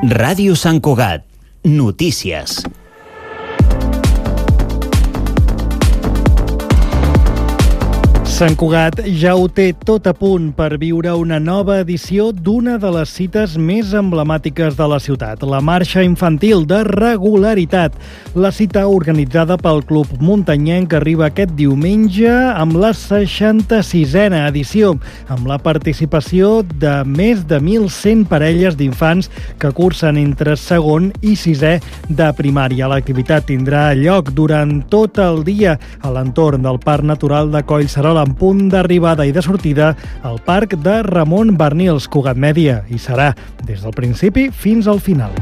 Ràdio Sant Cugat. Notícies. Sant Cugat ja ho té tot a punt per viure una nova edició d'una de les cites més emblemàtiques de la ciutat, la Marxa Infantil de Regularitat. La cita organitzada pel Club Muntanyenc arriba aquest diumenge amb la 66a edició, amb la participació de més de 1.100 parelles d'infants que cursen entre segon i sisè de primària. L'activitat tindrà lloc durant tot el dia a l'entorn del Parc Natural de Collserola, en punt d'arribada i de sortida al Parc de Ramon Barnils, Cugat Mèdia, i serà des del principi fins al final.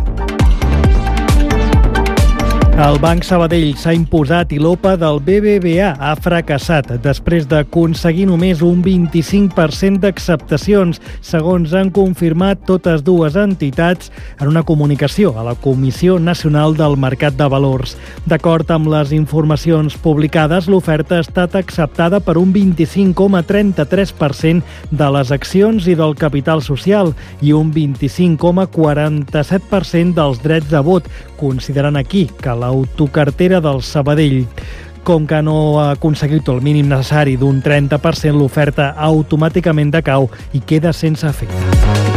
El Banc Sabadell s'ha imposat i l'OPA del BBVA ha fracassat després d'aconseguir només un 25% d'acceptacions, segons han confirmat totes dues entitats en una comunicació a la Comissió Nacional del Mercat de Valors. D'acord amb les informacions publicades, l'oferta ha estat acceptada per un 25,33% de les accions i del capital social i un 25,47% dels drets de vot, considerant aquí que l'autocartera del Sabadell. Com que no ha aconseguit el mínim necessari d'un 30%, l'oferta automàticament decau i queda sense efecte.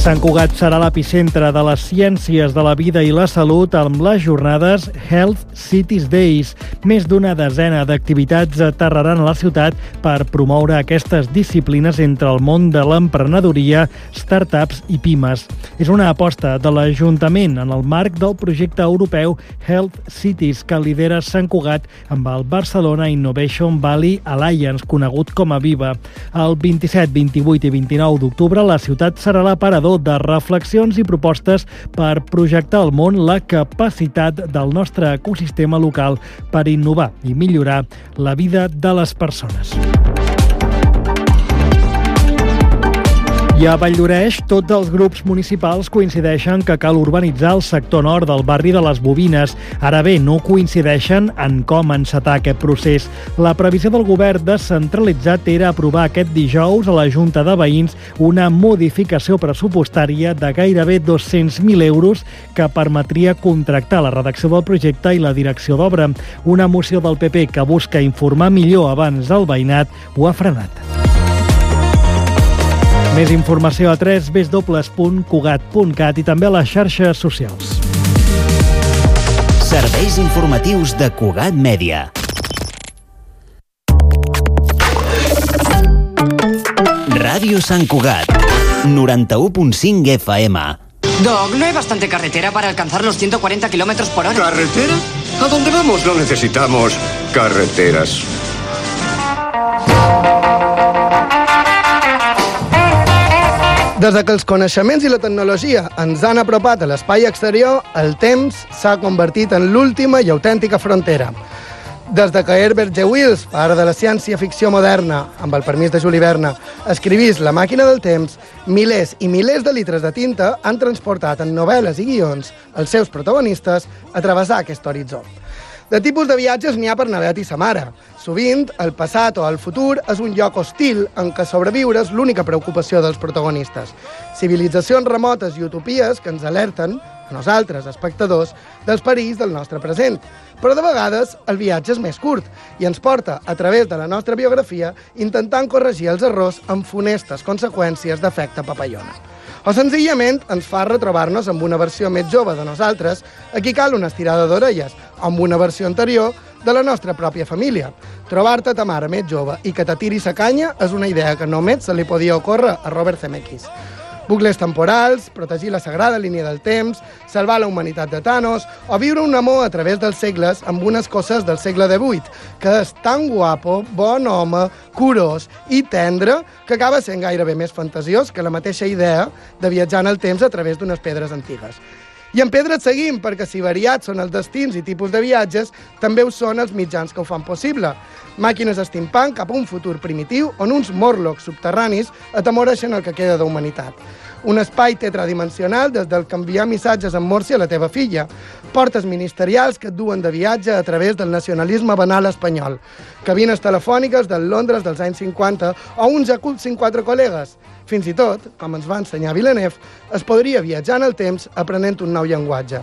Sant Cugat serà l'epicentre de les ciències de la vida i la salut amb les jornades Health Cities Days. Més d'una desena d'activitats aterraran a la ciutat per promoure aquestes disciplines entre el món de l'emprenedoria, startups i pimes. És una aposta de l'Ajuntament en el marc del projecte europeu Health Cities que lidera Sant Cugat amb el Barcelona Innovation Valley Alliance, conegut com a VIVA. El 27, 28 i 29 d'octubre la ciutat serà l'aparador de reflexions i propostes per projectar al món la capacitat del nostre ecosistema local per innovar i millorar la vida de les persones. I a Valldoreix, tots els grups municipals coincideixen que cal urbanitzar el sector nord del barri de les Bobines. Ara bé, no coincideixen en com encetar aquest procés. La previsió del govern descentralitzat era aprovar aquest dijous a la Junta de Veïns una modificació pressupostària de gairebé 200.000 euros que permetria contractar la redacció del projecte i la direcció d'obra. Una moció del PP que busca informar millor abans el veïnat ho ha frenat. Més informació a www.cugat.cat i també a les xarxes socials. Serveis informatius de Cugat Mèdia. Ràdio Sant Cugat, 91.5 FM. Doc, ¿no hay bastante carretera para alcanzar los 140 kilómetros por hora? ¿Carretera? ¿A dónde vamos no necesitamos carreteras? Des que els coneixements i la tecnologia ens han apropat a l'espai exterior, el temps s'ha convertit en l'última i autèntica frontera. Des que Herbert G. Wells, pare de la ciència-ficció moderna, amb el permís de Juli Verne, escrivís La màquina del temps, milers i milers de litres de tinta han transportat en novel·les i guions els seus protagonistes a travessar aquest horitzó. De tipus de viatges n'hi ha per na Bet i sa mare. Sovint, el passat o el futur és un lloc hostil en què sobreviure és l'única preocupació dels protagonistes. Civilitzacions remotes i utopies que ens alerten, a nosaltres, espectadors, dels perills del nostre present. Però de vegades el viatge és més curt i ens porta, a través de la nostra biografia, intentant corregir els errors amb funestes conseqüències d'efecte papallona. O senzillament ens fa retrobar-nos amb una versió més jove de nosaltres, a qui cal una estirada d'orelles, o amb una versió anterior de la nostra pròpia família. Trobar-te ta mare més jove i que t'atiri sa canya és una idea que només se li podia ocórrer a Robert Zemeckis. Bucles temporals, protegir la sagrada línia del temps, salvar la humanitat de Thanos o viure un amor a través dels segles amb unes coses del segle XVIII, que és tan guapo, bon home, curós i tendre que acaba sent gairebé més fantasiós que la mateixa idea de viatjar en el temps a través d'unes pedres antigues. I en pedres seguim, perquè si variats són els destins i tipus de viatges, també ho són els mitjans que ho fan possible. Màquines steampunk cap a un futur primitiu on uns Morlocks subterranis atemoreixen el que queda d'humanitat. Un espai tetradimensional des del que enviar missatges en morse a la teva filla. Portes ministerials que et duen de viatge a través del nacionalisme banal espanyol. Cabines telefòniques del Londres dels anys 50 o un jacuzzi amb 4 col·legues. Fins i tot, com ens va ensenyar Villeneuve, es podria viatjar en el temps aprenent un nou llenguatge.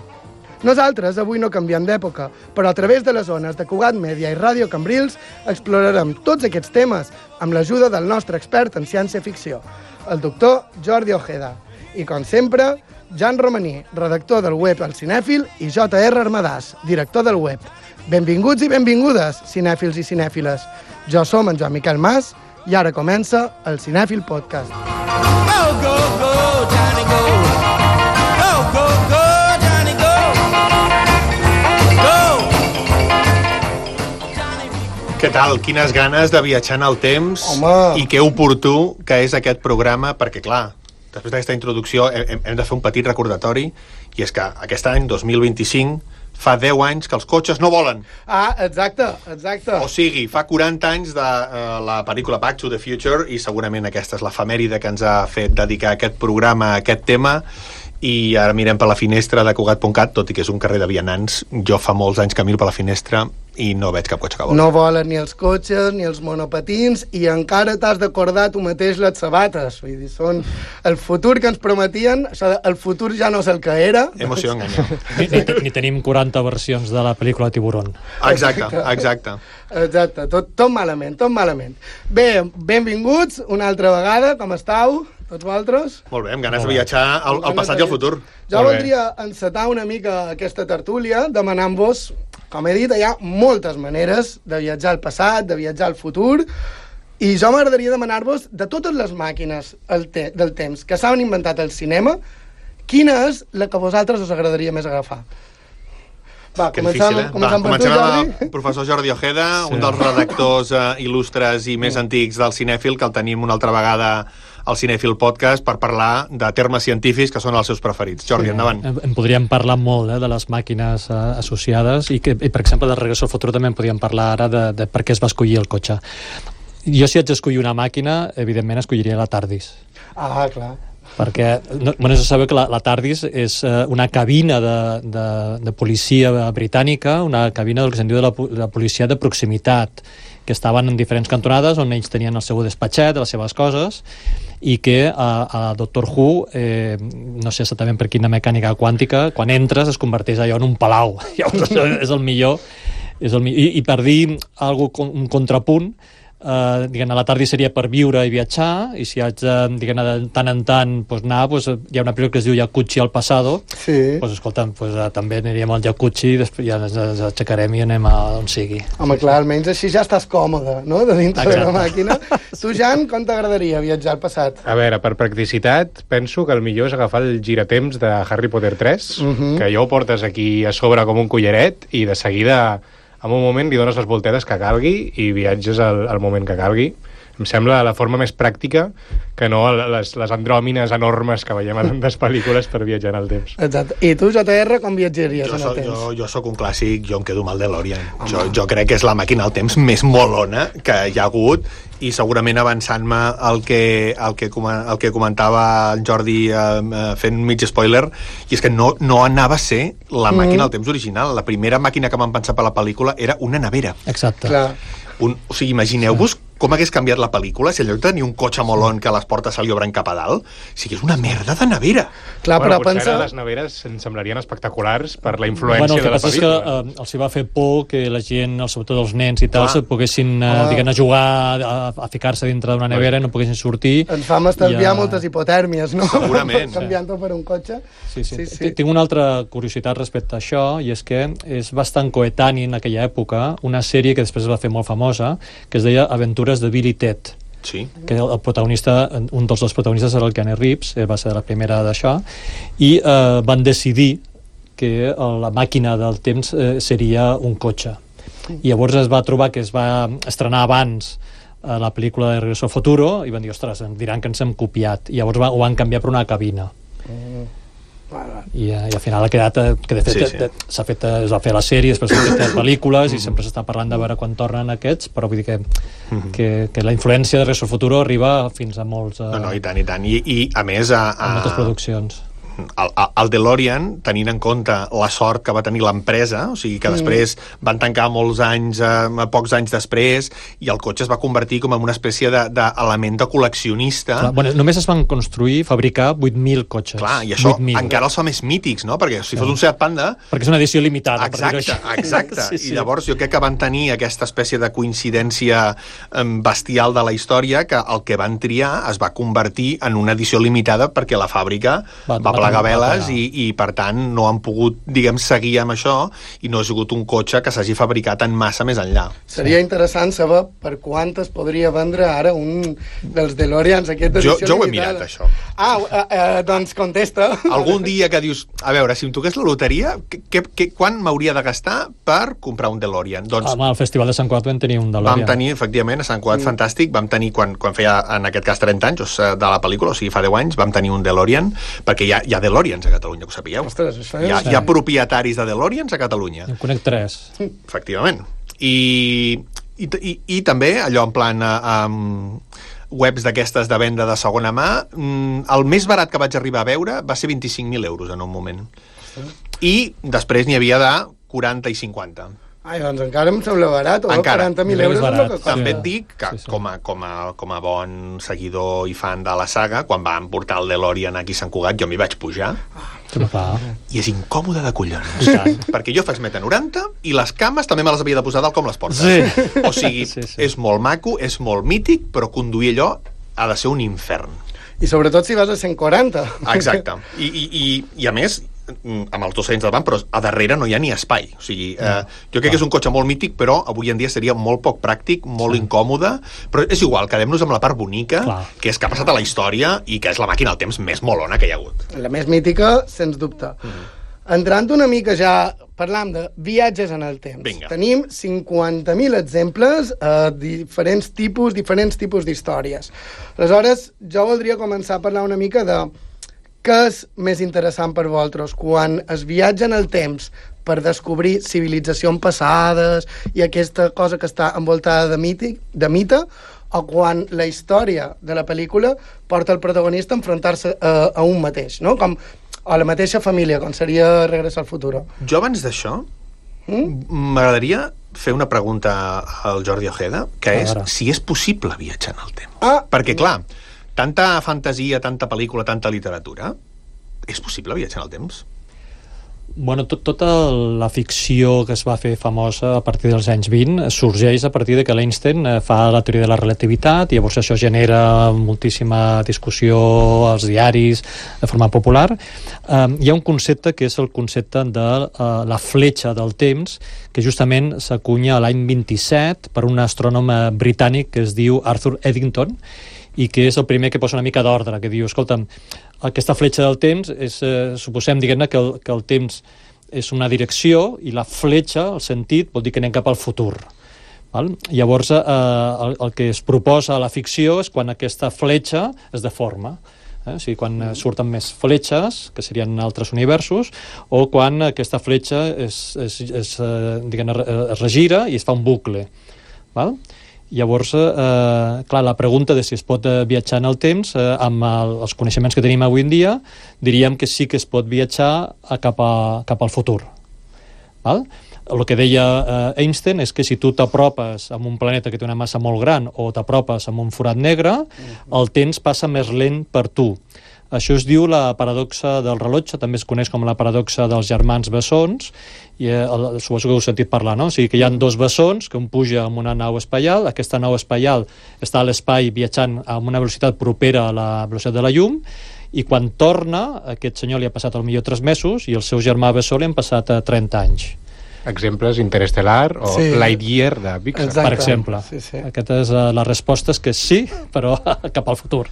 Nosaltres avui no canviem d'època, però a través de les ones de Cugat Mèdia i Ràdio Cambrils explorarem tots aquests temes amb l'ajuda del nostre expert en ciència-ficció, el doctor Jordi Ojeda. I, com sempre, Jan Romaní, redactor del web El Cinèfil, i J.R. Armadàs, director del web. Benvinguts i benvingudes, cinèfils i cinèfiles. Jo som en Joan Miquel Mas i ara comença el Cinèfil Podcast. Go, go, go, Johnny, go. Go, go, go, Johnny, go. Go. Què tal? Quines ganes de viatjar en el temps. Home. I que oportú que és aquest programa, perquè, clar, després d'aquesta introducció hem de fer un petit recordatori, i és que aquest any, 2025, fa 10 anys que els cotxes no volen. Ah, exacte. O sigui, fa 40 anys de la pel·lícula Back to the Future, i segurament aquesta és l'efemèride que ens ha fet dedicar aquest programa a aquest tema. I ara mirem per la finestra de Cugat.cat, tot i que és un carrer de vianants. Jo fa molts anys que miro per la finestra i no veig cap cotxe que vol. No volen ni els cotxes ni els monopatins i encara t'has d'acordar tu mateix les sabates. Vull dir, són el futur que ens prometien. El futur ja no és el que era. Emoció enganya. Ni tenim 40 versions de la pel·lícula Tiburón. Exacte. Tot malament. Bé, benvinguts una altra vegada. Com estàu? Tots vosaltres? Molt bé, amb ganes de viatjar al passat i al futur. Jo voldria encetar una mica aquesta tertúlia demanant-vos, com he dit, hi ha moltes maneres de viatjar al passat, de viatjar al futur, i jo m'agradaria demanar-vos, de totes les màquines del temps que s'han inventat al cinema, quina és la que a vosaltres us agradaria més agafar? Va, comencem per tu, Jordi. El professor Jordi Ojeda, un dels redactors il·lustres i més antics del Cinèfil, que el tenim una altra vegada al Cinèfil Podcast per parlar de termes científics que són els seus preferits. Jordi, endavant. En podríem parlar molt de les màquines associades i per exemple, de Regreso al futur també en podríem parlar ara de per què es va escollir el cotxe. Jo, si haig d'escollir una màquina, evidentment escolliria la TARDIS. Ah, clar. Perquè, se sabeu que la TARDIS és una cabina de policia britànica, una cabina del que se'n diu de la policia de proximitat, que estaven en diferents cantonades on ells tenien el seu despatxet, les seves coses, i que a Doctor Who, no sé exactament per quina mecànica quàntica, quan entres es converteix allò en un palau. És el millor. I per dir un contrapunt, diguem, a la tarda seria per viure i viatjar, i si haig de tant en tant anar, hi ha una pel·lícula que es diu Jacuzzi al Passado, escolta'm, també aniríem al Jacuzzi i després ja ens aixecarem i anem a on sigui. Home, clar, almenys així ja estàs còmode, no?, de dintre de la màquina. Tu, Jan, com t'agradaria viatjar al passat? A veure, per practicitat, penso que el millor és agafar el giratemps de Harry Potter 3, que allò ho portes aquí a sobre com un collaret i de seguida, en un moment, li dones les voltetes que calgui i viatges al moment que calgui. Em sembla la forma més pràctica que no les andròmines enormes que veiem a tantes pel·lícules per viatjar en el temps. Exacte. I tu, JR, com viatjaries en el temps? Jo sóc un clàssic, jo em quedo amb el DeLorean. Jo crec que és la màquina del temps més molona que hi ha hagut, i segurament avançant-me el que comentava el Jordi fent mig spoiler, i és que no anava a ser la màquina del temps original. La primera màquina que m'han pensat per la pel·lícula era una nevera. Exacte. Clar. O sigui, imagineu-vos com hagués canviat la pel·lícula si en lloc de tenir un cotxe molon que les portes se li obren cap a dalt, si és una merda de nevera. Clar, però potser pensa... les neveres ens semblarien espectaculars per la influència de la pel·lícula. El que passa és que els hi va fer por que la gent, sobretot els nens i tal, poguessin a jugar, a ficar-se dintre d'una nevera i no poguessin sortir. Ens fa estalviar moltes hipotèrmies, no? Segurament. Canviant-ho per un cotxe. Sí. Tinc una altra curiositat respecte a això, i és que és bastant coetani en aquella època una sèrie que després es va fer molt famosa, que es deia Aventures de Bill i Ted. Sí. Que el protagonista, un dels dos protagonistes era el Keanu Reeves, va ser la primera d'això, i van decidir que la màquina del temps seria un cotxe. I llavors es va trobar que es va estrenar abans la pel·lícula de Regreso al Futuro i van dir, ostres, diran que ens hem copiat, i llavors ho van canviar per una cabina. I al final ha quedat que de fet s'ha fet, es va fer la sèrie, després s'ha fet pel·lícules i sempre s'està parlant de veure quan tornen aquests, però vull dir que la influència de Regreso al Futuro arriba fins a molts No, i tant, i a més a moltes produccions. El DeLorean, tenint en compte la sort que va tenir l'empresa, o sigui que després van tancar molts anys, pocs anys després, i el cotxe es va convertir com en una espècie d'element de col·leccionista. Clar, bueno, només es van fabricar 8.000 cotxes. Clar, i això encara els fa més mítics, no? Perquè si fos un Seat Panda... Perquè és una edició limitada. Exacte. I llavors jo crec que van tenir aquesta espècie de coincidència bestial de la història, que el que van triar es va convertir en una edició limitada perquè la fàbrica va plegar veles i per tant no han pogut, diguem, seguir amb això i no ha sigut un cotxe que s'hagi fabricat en massa més enllà. Seria interessant saber per quantes podria vendre ara un dels DeLoreans aquest edició limitada. Jo ho he mirat, això. Doncs contesta. Algun dia que dius, a veure, si em toqués la loteria, quan m'hauria de gastar per comprar un DeLorean? Doncs al Festival de Sant Cugat vam tenir un DeLorean. Vam tenir, efectivament, a Sant Cugat, fantàstic, vam tenir, quan feia, en aquest cas, 30 anys de la pel·lícula, o sigui, fa 10 anys, vam tenir un DeLorean, perquè hi ha DeLoreans a Catalunya, que ho sapigueu. Ostres, hi ha propietaris de DeLoreans a Catalunya. En conec 3. Efectivament. I també, allò en plan webs d'aquestes de venda de segona mà, el més barat que vaig arribar a veure va ser 25.000 euros en un moment. I després n'hi havia de 40 i 50. Ai, doncs encara em sembla barat, o 40.000 euros és el que costa. També et dic que com a bon seguidor i fan de la saga, quan van portar el DeLorean aquí a Sant Cugat, jo m'hi vaig pujar i és incòmode de collons, perquè jo faig 1,90 m i les cames també me les havia de posar dalt com les portes. O sigui, és molt maco, és molt mític, però conduir allò ha de ser un infern. I sobretot si vas a 140. Exacte. I a més, amb els 200 del banc, però a darrere no hi ha ni espai. O sigui, jo crec que és un cotxe molt mític, però avui en dia seria molt poc pràctic, molt incòmode, però és igual, quedem-nos amb la part bonica, que és que ha passat a la història i que és la màquina del temps més molona que hi ha hagut. La més mítica, sens dubte. Entrant una mica ja, parlam de viatges en el temps. Vinga. Tenim 50.000 exemples a diferents tipus d'històries. Aleshores, jo voldria començar a parlar una mica de què és més interessant per vosaltres, quan es viatja en el temps per descobrir civilitzacions passades i aquesta cosa que està envoltada de mite, o quan la història de la pel·lícula porta el protagonista a enfrontar-se a un mateix, no? Com a la mateixa família, com seria Regreso al Futuro. Jo abans d'això m'agradaria fer una pregunta al Jordi Ojeda, que és si és possible viatjar en el temps. Perquè, clar, tanta fantasia, tanta pel·lícula, tanta literatura, és possible viatjar en el temps? Bueno, tota la ficció que es va fer famosa a partir dels anys 20 sorgeix a partir de que l'Einstein fa la teoria de la relativitat i llavors això genera moltíssima discussió als diaris de forma popular. Hi ha un concepte que és el concepte de la fletxa del temps, que justament s'acunya a l'any 27 per un astrònom britànic que es diu Arthur Eddington, i que és el primer que posa una mica d'ordre, que diu, escolta'm, aquesta fletxa del temps és, suposem, diguem-ne, que el temps és una direcció i la fletxa, el sentit, vol dir que anem cap al futur. Val? Llavors, el que es proposa a la ficció és quan aquesta fletxa es deforma. O sigui, quan surten més fletxes, que serien altres universos, o quan aquesta fletxa es regira i es fa un bucle. Val? Llavors, clar, la pregunta de si es pot viatjar en el temps, amb els coneixements que tenim avui en dia, diríem que sí que es pot viatjar cap al futur. Val? El que deia Einstein és que si tu t'apropes a un planeta que té una massa molt gran o t'apropes a un forat negre, el temps passa més lent per tu. Això es diu la paradoxa del rellotge, també es coneix com la paradoxa dels germans bessons, i suposo que heu sentit parlar, no? O sigui que hi ha dos bessons, que un puja amb una nau espacial, aquesta nau espacial està a l'espai viatjant amb una velocitat propera a la velocitat de la llum, i quan torna, aquest senyor li ha passat potser 3 mesos, i el seu germà bessó li han passat 30 anys. Exemples, Interestelar o Lightyear de Pixar. Per exemple. Aquesta és la resposta, és que sí, però cap al futur.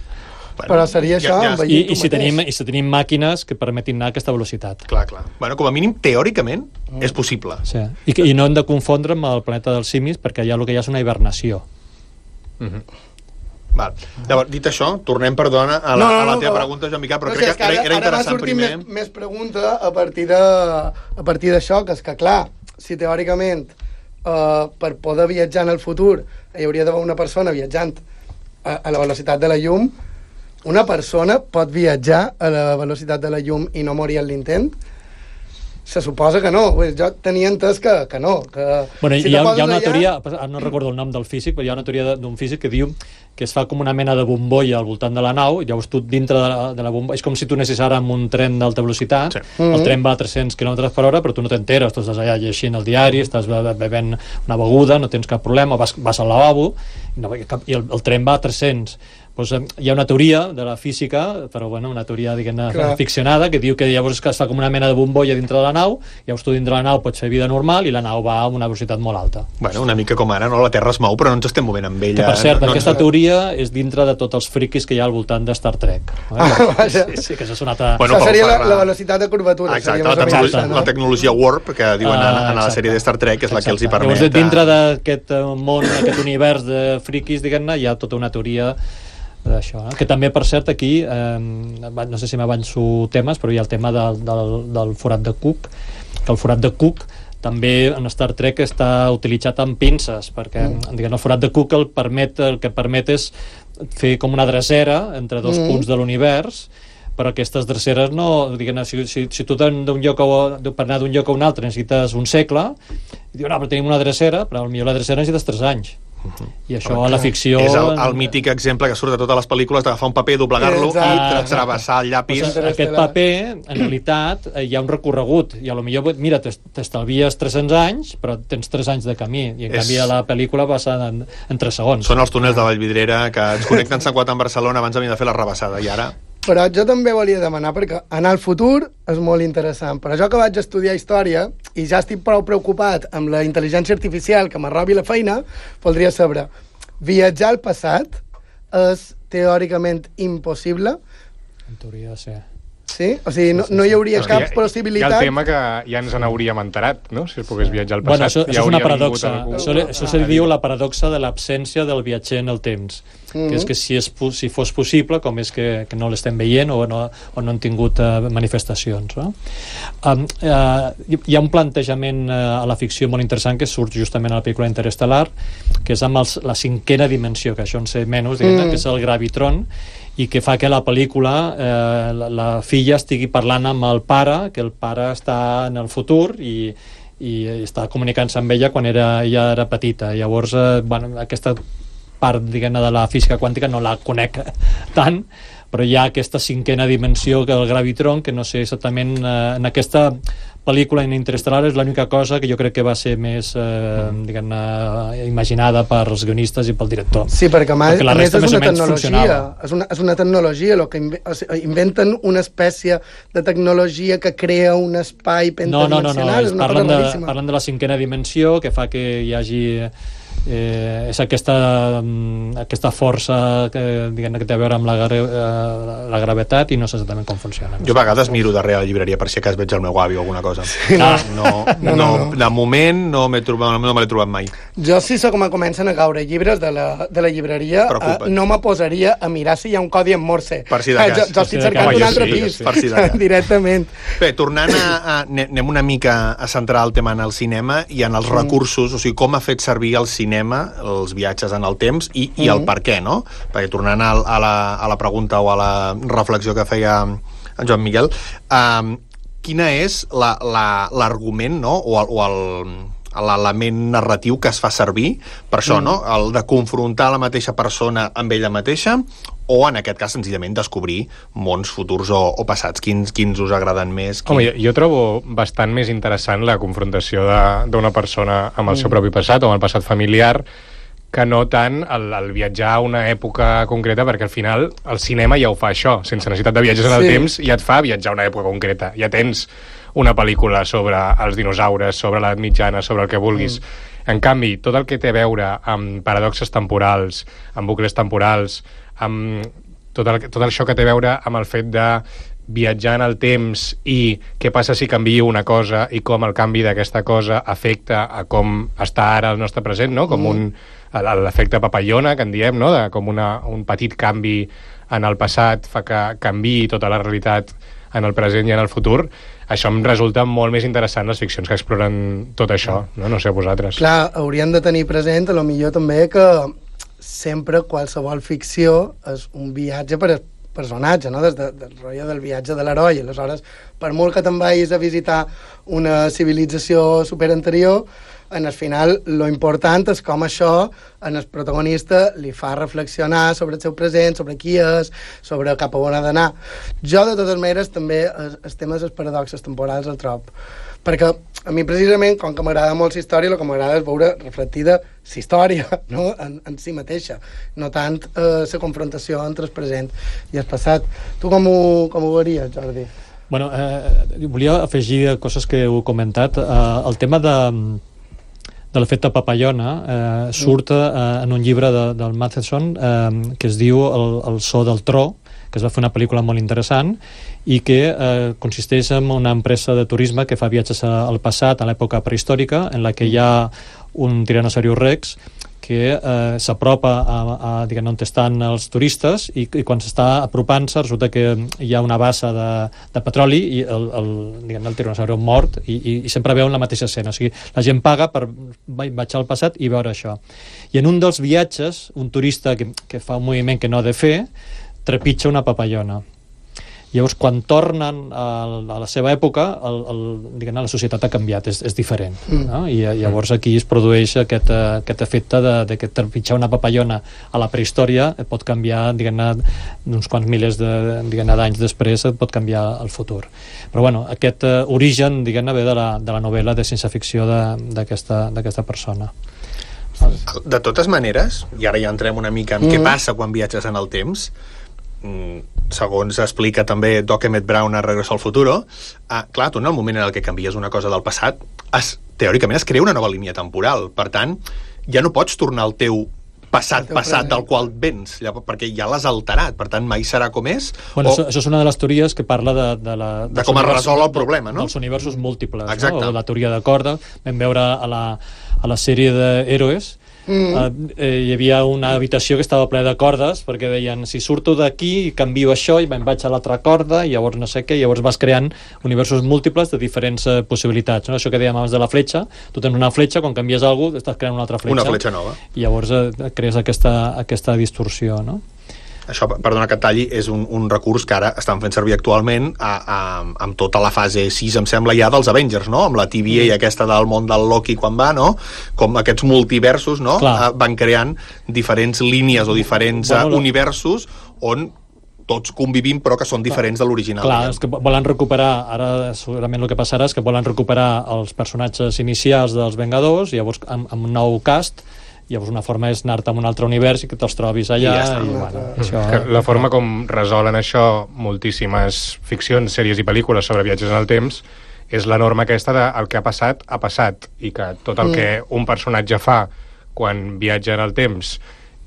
Bueno, però seria això I si tenim màquines que permetin anar a aquesta velocitat. Clar. Bueno, com a mínim, teòricament, és possible. Sí. I no hem de confondre amb el planeta dels simis, perquè allà el que hi ha és una hibernació. Val. Llavors, dit això, tornem, perdona, a la teva pregunta, Joan Miquel, però crec que era interessant primer. Ara m'ha sortit més pregunta a partir d'això, que és que, clar, si teòricament per poder viatjar en el futur hi hauria d'haver una persona viatjant a la velocitat de la llum, una persona pot viatjar a la velocitat de la llum i no morir en l'intent? Se suposa que no. Jo tenia entès que no. Bueno, hi ha una teoria, no recordo el nom del físic, però hi ha una teoria d'un físic que diu que es fa com una mena de bombolla al voltant de la nau, i llavors tu dintre de la bombolla... És com si tu anessis ara amb un tren d'alta velocitat, el tren va a 300 km per hora, però tu no t'enteres, tu estàs allà llegint el diari, estàs bevent una beguda, no tens cap problema, vas al lavabo, i el tren va a 300. Pues, hi ha una teoria de la física, però bueno, una teoria ficcionada, que diu que llavors es fa com una mena de bombolla dintre de la nau, llavors tu dintre de la nau pots fer vida normal i la nau va a una velocitat molt alta. Bueno, una mica com ara, no? La Terra es mou, però no ens estem movent amb ella. Que, per cert, aquesta teoria és dintre de tots els friquis que hi ha al voltant de Star Trek. Sí, que això és una altra... Això seria la velocitat de curvatura. Exacte, la tecnologia Warp, que diuen a la sèrie de Star Trek, és la que els hi permet... Llavors, dintre d'aquest món, aquest univers de friquis, diguem-ne, hi ha tota una teoria d'això, que també, per cert, aquí no sé si m'avanço temes, però hi ha el tema del forat de Cook, que el forat de Cook també en Star Trek està utilitzat amb pinces, perquè el forat de Cook el que permet és fer com una drecera entre dos punts de l'univers, però aquestes dreceres no... Si tu per anar d'un lloc a un altre necessites un segle, i diu, no, però tenim una drecera, però potser la drecera necessites 3 anys. I això a la ficció... És el mític exemple que surt de totes les pel·lícules d'agafar un paper, doblegar-lo i travessar el llapis. Aquest paper, en realitat, hi ha un recorregut, i potser, mira, t'estalvies 300 anys, però tens 3 anys de camí, i en canvi a la pel·lícula passa en 3 segons. Són els túnels de Vallvidrera que ens connecten Sant Cugat amb Barcelona abans de venir a fer la rebassada, i ara... Però jo també volia demanar, perquè anar al futur és molt interessant, però jo que vaig estudiar història i ja estic prou preocupat amb la intel·ligència artificial que m'arrobi la feina, voldria saber, viatjar al passat és teòricament impossible? En teoria, sí. Sí? O sigui, no hi hauria cap possibilitat... Hi ha el tema que ja ens n'hauríem enterat, no? Si es pogués viatjar al passat. Bueno, això és una paradoxa. Això se diu la paradoxa de l'absència del viatger en el temps. Que és que si fos possible, com és que no l'estem veient o no han tingut manifestacions. No? Hi ha un plantejament a la ficció molt interessant que surt justament a la pel·lícula Interestelar, que és amb la 5ª dimensió, que això en sé menys, que és el gravitron, i que fa que la pel·lícula la filla estigui parlant amb el pare, que el pare està en el futur i està comunicant-se amb ella quan ella era petita. Llavors, aquesta part, diguem-ne, de la física quàntica no la conec tant, però hi ha aquesta 5ª dimensió, que el gravitron, que no sé exactament en aquesta pel·lícula en Interestelar és l'única cosa que jo crec que va ser més diguem-ne, imaginada pels guionistes i pel director. Sí, perquè a més és una tecnologia, és una tecnologia, inventen una espècie de tecnologia que crea un espai pentadimensional. No, parlen de la 5ª dimensió, que fa que hi hagi és aquesta força que té a veure amb la gravetat i no sé exactament com funciona. Jo a vegades miro darrere la llibreria per si acas veig el meu avi o alguna cosa. De moment no me l'he trobat mai. Jo si comencen a caure llibres de la llibreria no me posaria a mirar si hi ha un codi en Morse. Per si de cas. Jo estic cercant un altre pis directament. Bé, tornant anem una mica a centrar el tema en el cinema i en els recursos, o sigui, com ha fet servir el cinema els viatges en el temps i el per què, no? Perquè tornant a la pregunta o a la reflexió que feia en Joan Miguel, quina és l'argument, no? O l'element narratiu que es fa servir per això, no? El de confrontar la mateixa persona amb ella mateixa o, en aquest cas, senzillament descobrir mons futurs o passats. Quins us agraden més? Home, jo trobo bastant més interessant la confrontació d'una persona amb el seu propi passat o amb el passat familiar que no tant el viatjar a una època concreta, perquè al final el cinema ja ho fa això, sense necessitat de viatges en el temps, ja et fa viatjar a una època concreta. Ja tens una pel·lícula sobre els dinosaures, sobre l'edat mitjana, sobre el que vulguis. En canvi, tot el que té a veure amb paradoxes temporals, amb bucles temporals, amb tot això que té a veure amb el fet de viatjar en el temps i què passa si canvia una cosa i com el canvi d'aquesta cosa afecta a com està ara el nostre present, no? Com l'efecte papallona, que en diem, no? De com un petit canvi en el passat fa que canviï tota la realitat en el present i en el futur. Això em resulta molt més interessant les ficcions que exploren tot això, no? No sé vosaltres. Clar, hauríem de tenir present, a lo millor també, que sempre qualsevol ficció és un viatge per personatge, no? Des del rotllo del viatge de l'heroi. Aleshores, per molt que te'n vagis a visitar una civilització superanterior, en el final, lo important és com això en el protagonista li fa reflexionar sobre el seu present, sobre qui és, sobre cap a on ha d'anar. Jo, de totes maneres, també el tema de les paradoxes temporals el trob. Perquè a mi, precisament, com que m'agrada molt la història, el que m'agrada és veure reflectida la història, no? en si mateixa, no tant la confrontació entre el present i el passat. Tu com ho veuries, Jordi? Bueno, volia afegir coses que heu comentat. El tema de l'efecte papallona surt en un llibre del Matheson que es diu El so del tro, que es va fer una pel·lícula molt interessant i que consisteix en una empresa de turisme que fa viatges al passat, a l'època prehistòrica, en la que hi ha un tiranosaurus rex que s'apropa a diguem, on estan els turistes i quan s'està apropant-se resulta que hi ha una bassa de petroli i el tiranosaurus mort i sempre veuen la mateixa escena. O sigui, la gent paga per baixar al passat i veure això. I en un dels viatges, un turista que fa un moviment que no ha de fer trepitja una papallona. Llavors, quan tornen a la seva època, la societat ha canviat, és diferent. No? I llavors aquí es produeix aquest efecte de que trepitjar una papallona a la prehistòria et pot canviar, uns quants milers d'anys després, et pot canviar el futur. Però bueno, aquest origen, ve de la novel·la de ciència-ficció d'aquesta persona. De totes maneres, i ara ja entrem una mica en què passa quan viatges en el temps, segons explica també Doc Emmett Brown a Regreso al Futuro, clar, tu en el moment en el que canvies una cosa del passat, teòricament es crea una nova línia temporal. Per tant, ja no pots tornar al teu passat del qual vens, perquè ja l'has alterat, per tant mai serà com és. Bueno, això és una de les teories que parla de com es resol el problema, no? Dels universos múltiples, exacte. No? O la teoria de corda. Vam veure a la sèrie d'Héroes hi havia una habitació que estava plena de cordes perquè deien, si surto d'aquí canvio això i me'n vaig a l'altra corda i llavors no sé què, llavors vas creant universos múltiples de diferents possibilitats, no? Això que dèiem abans de la fletxa, tu tens una fletxa, quan canvies alguna cosa estàs creant una altra fletxa. Una fletxa nova. I llavors crees aquesta distorsió, no? Això, perdona que et talli, és un recurs que ara estan fent servir actualment amb tota la fase 6, em sembla, ja dels Avengers, no? Amb la TVA aquesta del món del Loki quan va, no? Com aquests multiversos, no? Van creant diferents línies o diferents universos on tots convivim però que són diferents de l'original. Clar, és que volen recuperar, ara segurament el que passarà és que volen recuperar els personatges inicials dels Vengadors, llavors amb un nou cast. Llavors una forma és anar-te a un altre univers i que te'ls trobis allà. La forma com resolen això moltíssimes ficcions, sèries i pel·lícules sobre viatges en el temps és la norma aquesta de el que ha passat i que tot el que un personatge fa quan viatja en el temps,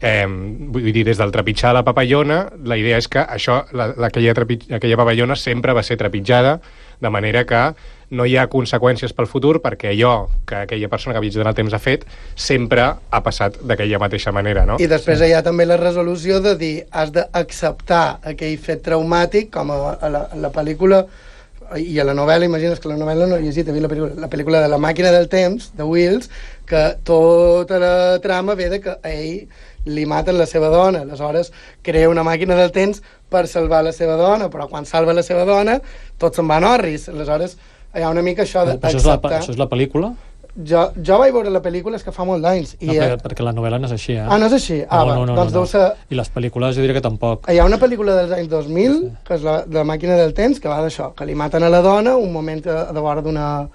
vull dir, des del trepitjar la papallona, la idea és que aquella papallona sempre va ser trepitjada, de manera que no hi ha conseqüències pel futur perquè allò que aquella persona que ha viatjat en el temps ha fet sempre ha passat d'aquella mateixa manera, no? I després hi ha també la resolució de dir has d'acceptar aquell fet traumàtic, com a la pel·lícula i a la novel·la, imagines que la novel·la no he llegit, la pel·lícula de La màquina del temps, de Wills, que tota la trama ve de que a ell li maten la seva dona, aleshores crea una màquina del temps per salvar la seva dona, però quan salva la seva dona tots se'n van orris, aleshores hi ha una mica això d'acceptar. Això és la pel·lícula? Jo vaig veure la pel·lícula, és que fa molt d'anys. No, perquè la novel·la no és així, no és així? Doncs deu ser... I les pel·lícules jo diria que tampoc. Hi ha una pel·lícula dels anys 2000, que és la màquina del temps, que va d'això, que li maten a la dona un moment de vora d'una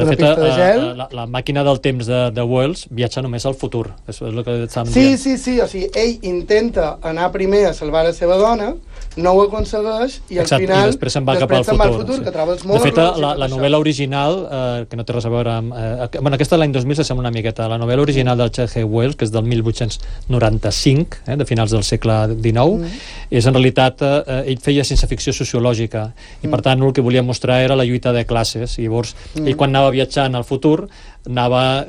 pista de gel. La màquina del temps de Wells viatja només al futur. És el que estàvem dient. Sí, o sigui, ell intenta anar primer a salvar la seva dona, no ho aconsegueix i al final i després se'n va cap al futur, que troba els morros. De fet, la novel·la original, que no té res a veure amb... Bueno, aquesta l'any 2000 s'assembla una miqueta. La novel·la original del H.G. Wells, que és del 1895, de finals del segle XIX, és en realitat... ell feia ciència-ficció sociològica i per tant el que volia mostrar era la lluita de classes i llavors ell quan anava viatjant al futur anava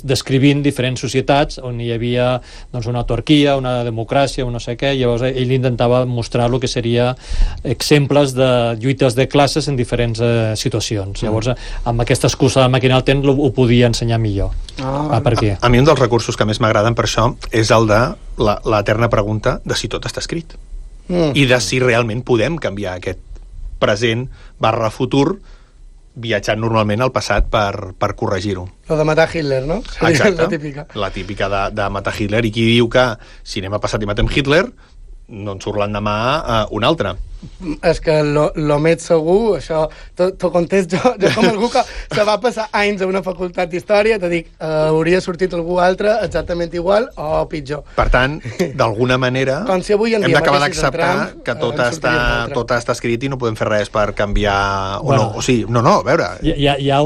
descrivint diferents societats on hi havia doncs, una autarquia, una democràcia, un no sé què, i llavors ell intentava mostrar el que seria exemples de lluites de classes en diferents situacions. Llavors, amb aquesta excusa de màquina del temps ho podia ensenyar millor. Per aquí. A mi un dels recursos que més m'agraden per això és el de l'eterna pregunta de si tot està escrit. I de si realment podem canviar aquest present / futur viatjant normalment al passat per corregir-ho. Lo de matar Hitler, no? Exacte, la típica. La típica de matar Hitler. I qui diu que si anem a passat i matem Hitler, no en surt l'endemà un altre. És que lo més segur, això t'ho contesto jo com algú que se va passar anys a una facultat d'història, te dic, hauria sortit algú altre exactament igual o pitjor. Per tant, d'alguna manera com si avui en dia hem d'acabar mateixis d'acceptar entrant, que tot està escrit i no podem fer res per canviar bueno, o sigui, no, a veure. Hi ha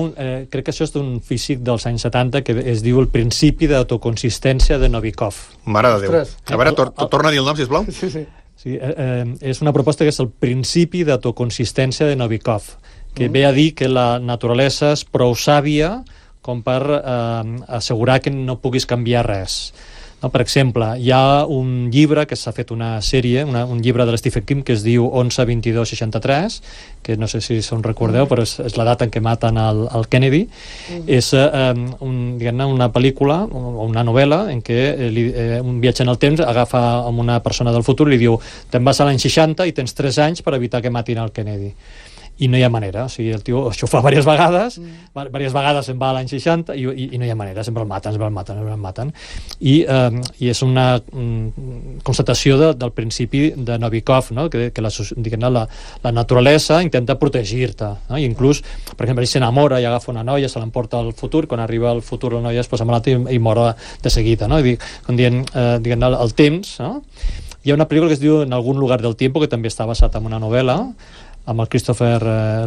crec que això és d'un físic dels anys 70 que es diu el principi d'autoconsistència de Novikov. Mare de Déu. A veure, torna a dir el nom, sisplau. Sí. Sí, és una proposta que és el principi d'autoconsistència de Novikov, que ve a dir que la naturalesa és prou sàvia com per assegurar que no puguis canviar res. No, per exemple, hi ha un llibre que s'ha fet una sèrie, un llibre de Stephen King que es diu 11-22-63, que no sé si se'n recordeu, però és la data en què maten el Kennedy. És una pel·lícula o una novel·la en què un viatge en el temps agafa amb una persona del futur i li diu, te'n vas a l'any 60 i tens 3 anys per evitar que matin el Kennedy. I no hi ha manera, o sigui, el tio això ho fa diverses vegades se'n va a l'any 60 i no hi ha manera, sempre el maten. I és una constatació del principi de Novikov, no? que la naturalesa intenta protegir-te, no? I inclús, per exemple, ell s'enamora i agafa una noia, se l'emporta al futur, quan arriba al futur la noia es posa malalta i mor de seguida, no? Com dient, el temps, no? Hi ha una pel·lícula que es diu En algun lugar del tiempo, que també està basat en una novel·la amb el Christopher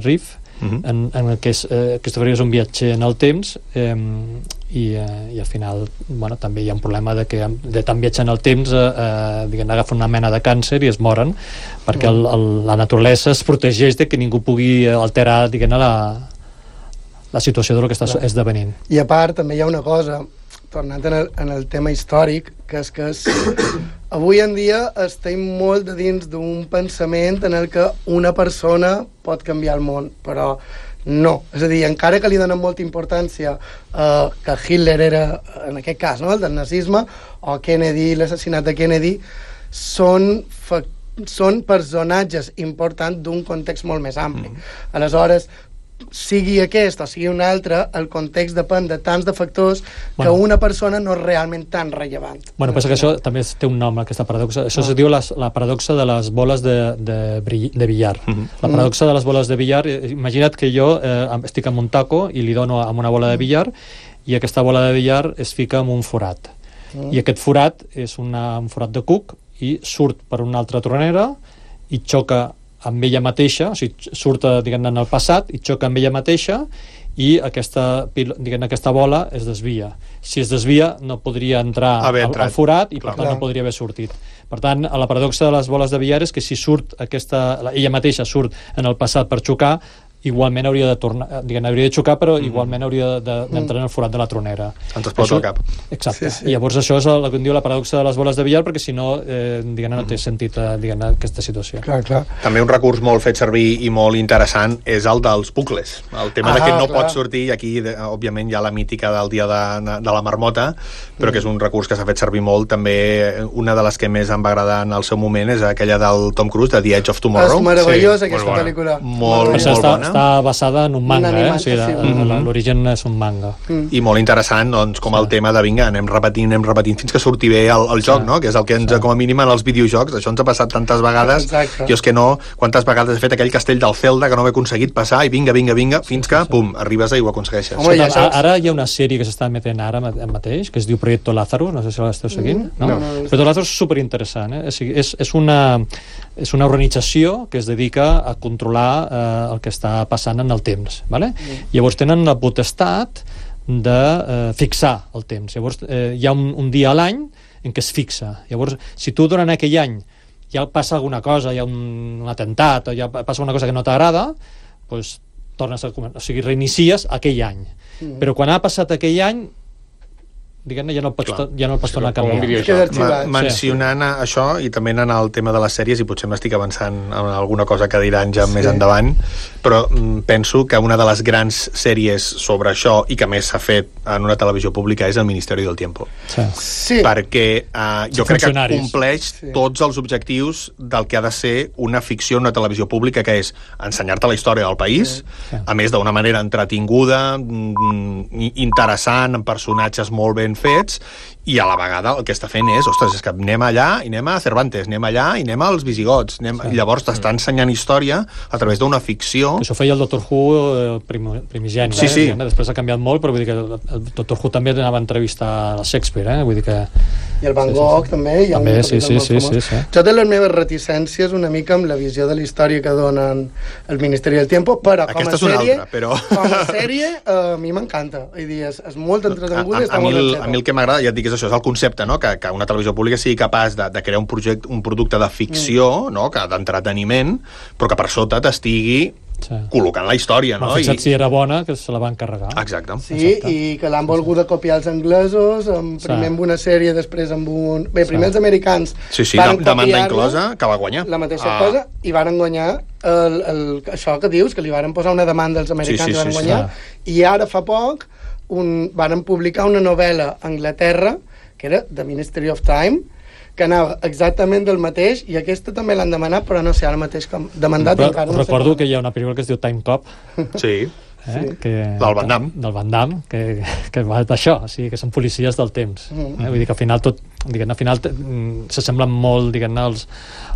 Reeve, en el que Christopher Reeve és un viatger en el temps i al final també hi ha un problema de tant viatjar en el temps agafen una mena de càncer i es moren perquè la naturalesa es protegeix de que ningú pugui alterar la situació del que està esdevenint. I a part també hi ha una cosa, tornant en el tema històric, que és que avui en dia estem molt de dins d'un pensament en el que una persona pot canviar el món, però no. És a dir, encara que li donen molta importància que Hitler era, en aquest cas, no, el del nazisme, o Kennedy, l'assassinat de Kennedy, són personatges importants d'un context molt més ampli. Aleshores, sigui aquest o sigui un altre, el context depèn de tants de factors que una persona no és realment tan rellevant. Pensa que això també té un nom, aquesta paradoxa. Això es diu la paradoxa de les boles de billar. La paradoxa de les boles de billar, imagina't que jo estic amb un taco i li dono amb una bola de billar i aquesta bola de billar es fica en un forat. I aquest forat és un forat de cuc i surt per una altra tronera i xoca amb ella mateixa, o sigui, surt en el passat i xoca amb ella mateixa i aquesta bola es desvia. Si es desvia no podria entrar al forat i per tant no podria haver sortit. Per tant, la paradoxa de les boles de billar és que si surt ella mateixa surt en el passat per xocar, igualment hauria de tornar, hauria de xocar, però igualment hauria d'entrar en el forat de la tronera. Ens explota el cap. Exacte. Sí. I llavors això és el que en diu la paradoxa de les boles de billar, perquè si no, no té sentit aquesta situació. Clar. També un recurs molt fet servir i molt interessant és el dels bucles. El tema de que no pot sortir, i aquí, òbviament, hi ha la mítica del dia de la marmota, però que és un recurs que s'ha fet servir molt. També una de les que més em va agradar en el seu moment és aquella del Tom Cruise, de The Edge of Tomorrow. És meravellosa aquesta pel·lícula. Molt bona. Està basada en un manga, o sigui, l'origen és un manga. I molt interessant, doncs, com el tema de vinga, anem repetint fins que surti bé el joc, no? Que és el que ens, com a mínim, en els videojocs, això ens ha passat tantes vegades. Exacte. Jo és que no, quantes vegades he fet aquell castell del Zelda que no he aconseguit passar i vinga, fins que, pum, arribes i ho aconsegueixes. Ara hi ha una sèrie que s'està emetent ara mateix, que es diu Proyecto Lazarus, no sé si l'esteu seguint. Proyecto Lazarus és superinteressant, és una organització que es dedica a controlar el que està passant en el temps, vale? Llavors tenen la potestat de fixar el temps. Llavors hi ha un dia a l'any en què es fixa. Llavors, si tu durant aquell any ja passa alguna cosa, hi ha un atemptat o ja passa una cosa que no t'agrada, doncs tornes a començar, o sigui, reinicies aquell any. Però quan ha passat aquell any, diguem-ne, ja no el pots tornar a canviar. Mencionant això, i també anant al tema de les sèries, i potser m'estic avançant en alguna cosa que diran ja més endavant, però penso que una de les grans sèries sobre això, i que més s'ha fet en una televisió pública, és El Ministeri del Tiempo. Sí. Perquè jo crec que compleix tots els objectius del que ha de ser una ficció en una televisió pública, que és ensenyar-te la història del país, a més d'una manera entretinguda, interessant, amb personatges molt ben fets, i a la vegada el que està fent és, ostres, és que anem allà i anem a Cervantes, anem allà i anem als visigots, i llavors t'està ensenyant història a través d'una ficció. Això feia el Doctor Who primigeni, després ha canviat molt, però vull dir que el Doctor Who també anava a entrevistar a Shakespeare, vull dir que... I el Van Gogh també. També, sí. Jo té les meves reticències una mica amb la visió de la història que donen el Ministeri del Tiempo, però com a sèrie a mi m'encanta. És molt entretenguda i està molt ben feta. A mi el que m'agrada, ja et dic, és això, és el concepte, no? Que una televisió pública sigui capaç de crear un producte de ficció, no? d'entreteniment, però que per sota t'estigui col·locant la història, no? Fixa't si era bona, que se la van carregar. Exacte. Sí, i que l'han volgut copiar els anglesos, primer amb una sèrie, després amb un... Bé, primer els americans van demanda inclosa, que va guanyar. La mateixa cosa, i van guanyar això que dius, que li van posar una demanda als americans i van guanyar, i ara fa poc van publicar una novel·la a Anglaterra, que era The Ministry of Time, que anava exactament del mateix, i aquesta també l'han demanat, però no sé, ara mateix com demandat encara. Recordo que hi ha una pel·lícula que es diu Time Cop. Sí. Del Van Damme. Del Van Damme, que va d'això, o sigui, que són policies del temps. Vull dir que al final s'assemblen molt, diguem-ne,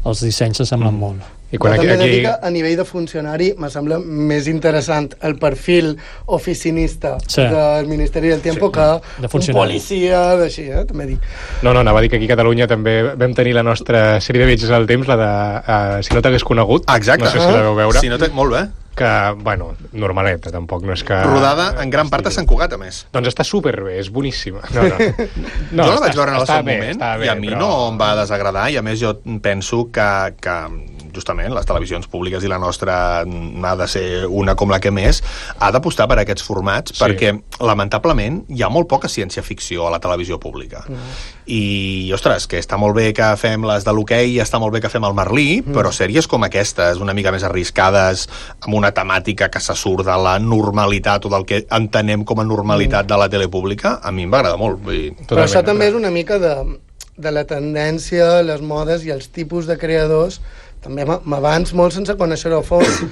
els dissenys s'assemblen molt. I quan també dic que a nivell de funcionari me sembla més interessant el perfil oficinista del Ministeri del Tiempo que un policia d'així, també dic. No, anava a dir que aquí a Catalunya també vam tenir la nostra sèrie de viatges al temps, la de Si no t'hagués conegut. Exacte. No sé si la veu veure. Molt bé. Que, bueno, normaleta, tampoc no és que... Rodada en gran part a Sant Cugat, a més. Doncs està superbé, és boníssima. No. Jo la vaig veure en el seu moment, i a mi no em va desagradar, i a més jo penso que justament les televisions públiques i la nostra ha de ser una com la que més, ha d'apostar per aquests formats, perquè lamentablement hi ha molt poca ciència-ficció a la televisió pública. I, ostres, que està molt bé que fem les de l'hoquei, està molt bé que fem el Merlí, però sèries com aquestes, una mica més arriscades, amb una temàtica que se surt de la normalitat o del que entenem com a normalitat de la tele pública, a mi em va agradar molt. Però això també és una mica de la tendència, les modes i els tipus de creadors. També m'abans molt sense conèixer-ho a fons,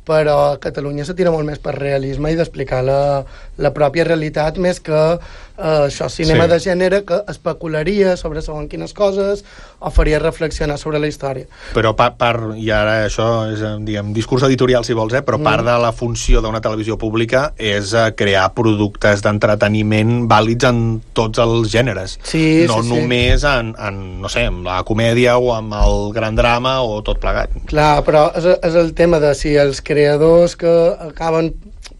però a Catalunya se tira molt més per realisme i d'explicar la pròpia realitat més que això, cinema de gènere que especularia sobre segons quines coses o faria reflexionar sobre la història. Però i ara això és, diguem, discurs editorial si vols, però part de la funció d'una televisió pública és crear productes d'entreteniment vàlids en tots els gèneres. No només en, no sé, en la comèdia o amb el gran drama o tot plegat. Clar, però és el tema de si els creadors que acaben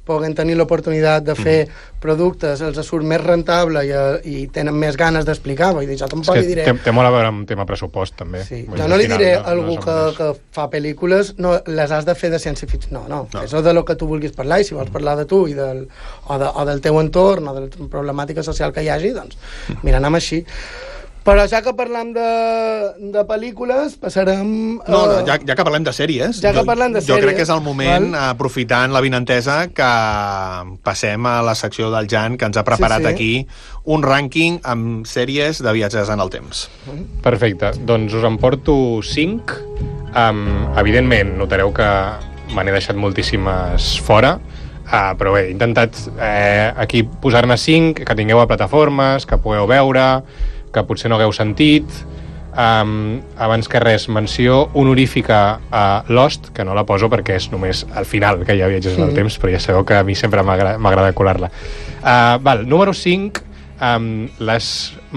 poden tenir l'oportunitat de fer productes, els surt més rentable i tenen més ganes d'explicar, vull dir, jo tampoc li diré... Té molt a veure amb tema pressupost, també. Sí. Jo no li diré a algú que fa pel·lícules, no, les has de fer de ciència-ficció. No. És de lo que tu vulguis parlar, i si vols parlar de tu o del teu entorn o de la problemàtica social que hi hagi, doncs, mira, anem així. Però ja que parlem de pel·lícules, passarem... Ja que parlem de sèries, jo crec que és el moment, aprofitant l'avinentesa, que passem a la secció del Jan, que ens ha preparat aquí un rànquing amb sèries de viatges en el temps. Perfecte, doncs us en porto 5. Evidentment, notareu que me n'he deixat moltíssimes fora, però bé, he intentat aquí posar-ne 5, que tingueu a plataformes, que pugueu veure, que potser no hagueu sentit. Abans que res, menció honorífica a Lost, que no la poso perquè és només al final que hi ha viatges en el temps, però ja sabeu que a mi sempre m'agrada colar-la. Número 5, les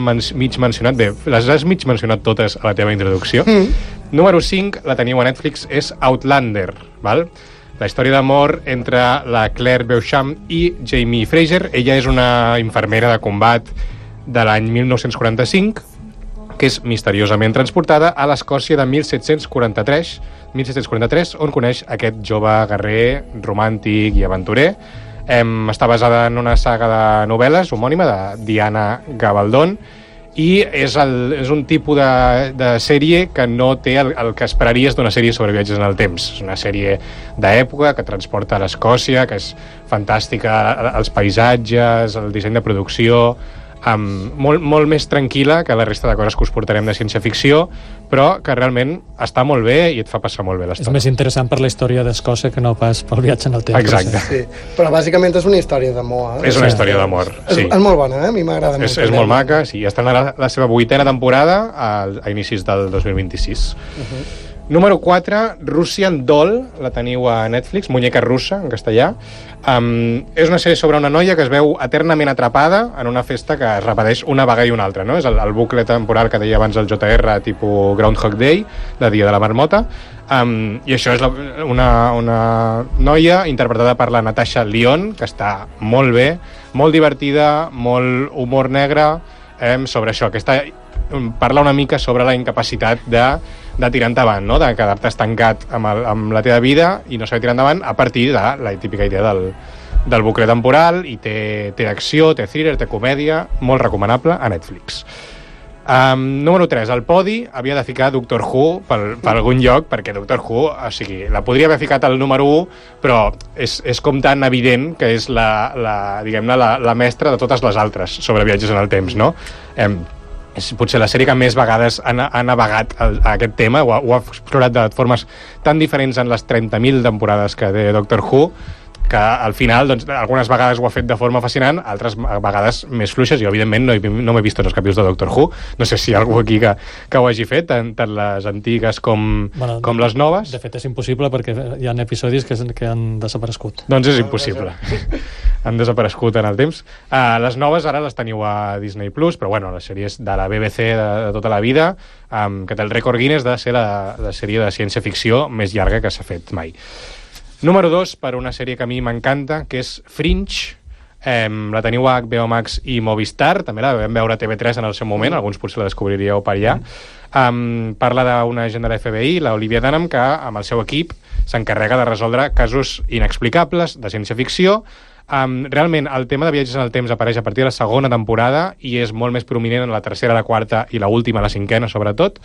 has mig mencionat totes a la teva introducció. Número 5, la teniu a Netflix, és Outlander, val? La història d'amor entre la Claire Beauchamp i Jamie Fraser. Ella és una infermera de combat de l'any 1945, que és misteriosament transportada a l'Escòcia de 1743, on coneix aquest jove guerrer, romàntic i aventurer, Està basada en una saga de novel·les homònima de Diana Gabaldon, i és un tipus de sèrie que no té el que esperaries d'una sèrie sobre viatges en el temps. És una sèrie d'època que transporta a l'Escòcia, que és fantàstica, els paisatges, el disseny de producció, molt més tranquil·la que la resta de coses que us portarem de ciència-ficció, però que realment està molt bé i et fa passar molt bé l'estona. És més interessant per la història d'Escòcia que no pas pel viatge en el temps. Exacte. Sí, però bàsicament és una història d'amor. És una història d'amor, sí. És molt bona, a mi m'agrada molt. És molt maca, sí. Està en la seva 8a temporada a inicis del 2026. Número 4, Russian Doll, la teniu a Netflix, Muñeca russa, en castellà. És una sèrie sobre una noia que es veu eternament atrapada en una festa que es repeteix una vegada i una altra, no? És el bucle temporal que deia abans el JR, tipus Groundhog Day, de Dia de la Marmota. I això és una noia interpretada per la Natasha Lyonne, que està molt bé, molt divertida, molt humor negre, sobre això, parla una mica sobre la incapacitat de tirar endavant, no? De quedar-te estancat amb la teva vida i no saber tirar endavant a partir de la típica idea del bucle temporal, i té acció, té thriller, té comèdia, molt recomanable a Netflix. Número 3, al podi havia de ficar Doctor Who per algun lloc, perquè Doctor Who, o sigui, la podria haver ficat al número 1, però és com tan evident que és diguem-ne, la mestra de totes les altres sobre viatges en el temps, no? És potser la sèrie que més vegades ha navegat a aquest tema, ho ha explorat de formes tan diferents en les 30.000 temporades que té Doctor Who, que al final, doncs, algunes vegades ho ha fet de forma fascinant, altres vegades més fluixes. Jo, evidentment, no m'he vist tots els capítols de Doctor Who. No sé si hi ha algú aquí que ho hagi fet, tant les antigues com les noves. De fet, és impossible perquè hi ha episodis que han desaparegut. Doncs és impossible. Han desaparegut en el temps. Les noves ara les teniu a Disney+, però bueno, les sèries de la BBC de tota la vida, que té el rècord Guinness de ser la sèrie de ciència-ficció més llarga que s'ha fet mai. Número 2, per una sèrie que a mi m'encanta, que és Fringe. La teniu a HBO Max i Movistar, també la vam veure a TV3 en el seu moment, alguns potser la descobriríeu per allà. Parla d'una agent de la FBI, la Olivia Dunham, que amb el seu equip s'encarrega de resoldre casos inexplicables de ciència-ficció. Realment el tema de viatges en el temps apareix a partir de la segona temporada i és molt més prominent en la tercera, la quarta i la última, la cinquena sobretot.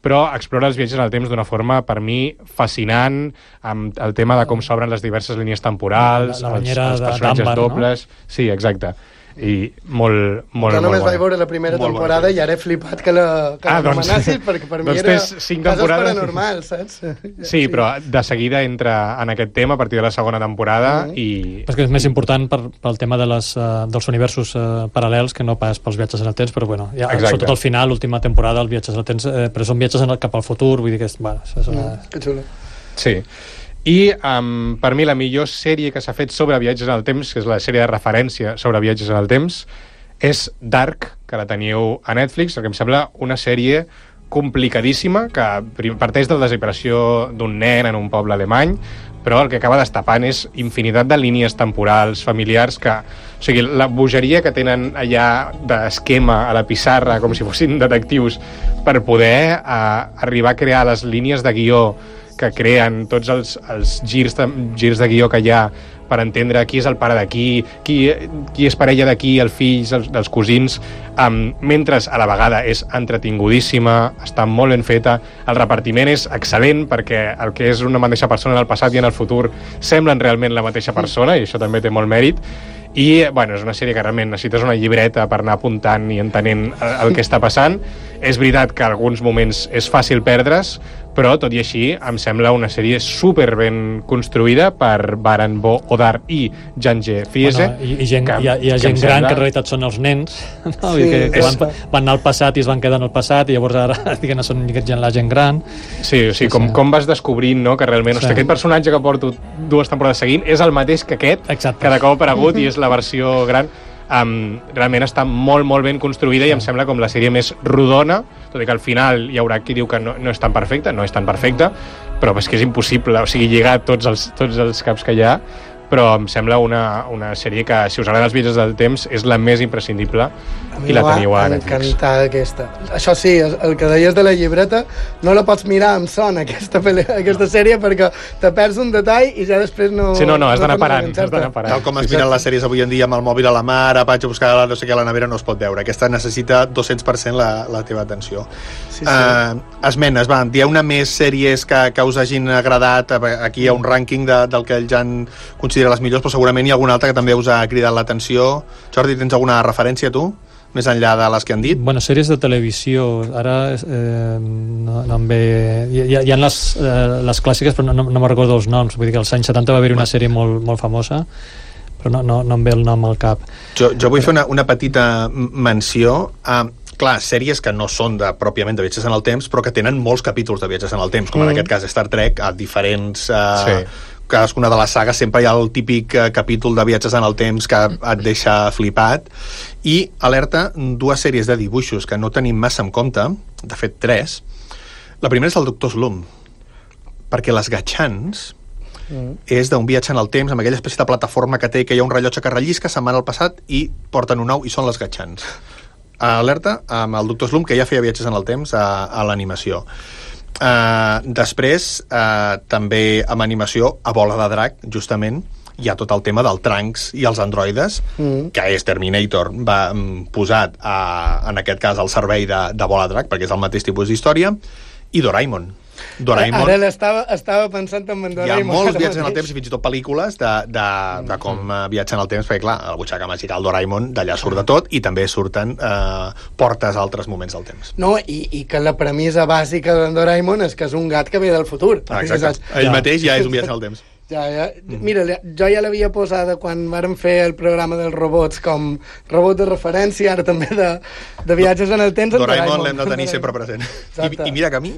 Però explora els viatges en el temps d'una forma, per mi, fascinant, amb el tema de com s'obren les diverses línies temporals, els personatges dobles... No? Sí, exacte. I molt jo només vaig veure la primera temporada i ara he flipat que l'anomenassis, perquè per mi era casos paranormals, saps? Sí, però de seguida entra en aquest tema a partir de la segona temporada i... És que és més important pel tema dels universos paral·lels que no pas pels viatges en el temps, però bueno, sobretot al final, l'última temporada, els viatges en el temps, però són viatges cap al futur, vull dir que és que xulo. Sí. I per mi la millor sèrie que s'ha fet sobre viatges en el temps, que és la sèrie de referència sobre viatges en el temps, és Dark, que la teniu a Netflix, que em sembla una sèrie complicadíssima, que parteix de la desaparició d'un nen en un poble alemany, però el que acaba destapant és infinitat de línies temporals, familiars, o sigui, la bogeria que tenen allà d'esquema a la pissarra, com si fossin detectius, per poder arribar a crear les línies de guió que creen tots els girs de guió que hi ha per entendre qui és el pare d'aquí, qui és parella d'aquí, els fills, dels cosins, mentre a la vegada és entretingudíssima, està molt ben feta, el repartiment és excel·lent perquè el que és una mateixa persona en el passat i en el futur semblen realment la mateixa persona, i això també té molt mèrit. I bueno, és una sèrie que realment necessites una llibreta per anar apuntant i entenent el que està passant. És veritat que en alguns moments és fàcil perdre's, però tot i així em sembla una sèrie super ben construïda per Baran Bo Odar i Jange Fiese. Hi ha gent gran que en realitat són els nens, no? Sí, que van anar al passat i es van quedar en el passat, i llavors ara són la gent gran. Sí, com vas descobrint, no? Que realment aquest personatge que porto 2 temporades seguint és el mateix que aquest, que de cop ha aparegut i és la versió gran. Realment està molt, molt ben construïda i em sembla com la sèrie més rodona, tot i que al final hi haurà qui diu que no és tan perfecta, però és que és impossible, o sigui, lligar tots els caps que hi ha, però em sembla una sèrie que, si us agraden els viatges del temps, és la més imprescindible i la teniu a Netflix. A mi m'ha encantat aquesta. Això sí, el que deies de la llibreta, no la pots mirar amb son, aquesta sèrie, perquè te perds un detall i ja després no... Sí, no, has d'anar parant. Tal com es miren les sèries avui en dia amb el mòbil a la mà, ara vaig a buscar no sé què a la nevera, no es pot veure. Aquesta necessita 200% la teva atenció. Sí. Esmenes, va, dieu una més sèries que us hagin agradat. Aquí hi ha un rànquing del que el Jan considera les millors, però segurament hi ha alguna altra que també us ha cridat l'atenció. Jordi, tens alguna referència, tu? Més enllà de les que han dit? Bueno, sèries de televisió, ara no em ve... Hi ha les clàssiques, però no me'n recordo els noms. Vull dir que als anys 70 va haver-hi una sèrie molt famosa, però no em ve el nom al cap. Jo vull fer una petita menció a... Clar, sèries que no són pròpiament de viatges en el temps, però que tenen molts capítols de viatges en el temps, com en aquest cas Star Trek, a diferents... Cadascuna de les sagues sempre hi ha el típic capítol de viatges en el temps que et deixa flipat. I, alerta, 2 sèries de dibuixos que no tenim massa en compte, de fet 3. La primera és el Doctor Slump, perquè les Gatchans és d'un viatge en el temps, amb aquella espècie de plataforma que té, que hi ha un rellotge que rellisca, se'n van al passat i porten un nou, i són les Gatchans. Alerta, amb el Doctor Slump, que ja feia viatges en el temps a l'animació. Després també amb animació a Bola de Drac, justament hi ha tot el tema del Trunks i els androides, que és Terminator posat en aquest cas al servei de Bola de Drac, perquè és el mateix tipus d'història, i Doraemon. Ara estava pensant en Doraemon. Hi ha molts viatges en el temps i fins i tot pel·lícules de com viatgen el temps, perquè clar, el butxaca màgica, el Doraemon, d'allà surt de tot, i també surten portes a altres moments del temps. No, i que la premissa bàsica de Doraemon és que és un gat que ve del futur. Exacte. Ell mateix ja és un viatge en el temps. Mira, jo ja l'havia posada quan vàrem fer el programa dels robots com robot de referència, ara també de viatges en el temps. Doraemon l'hem de tenir sempre present. I mira que a mi,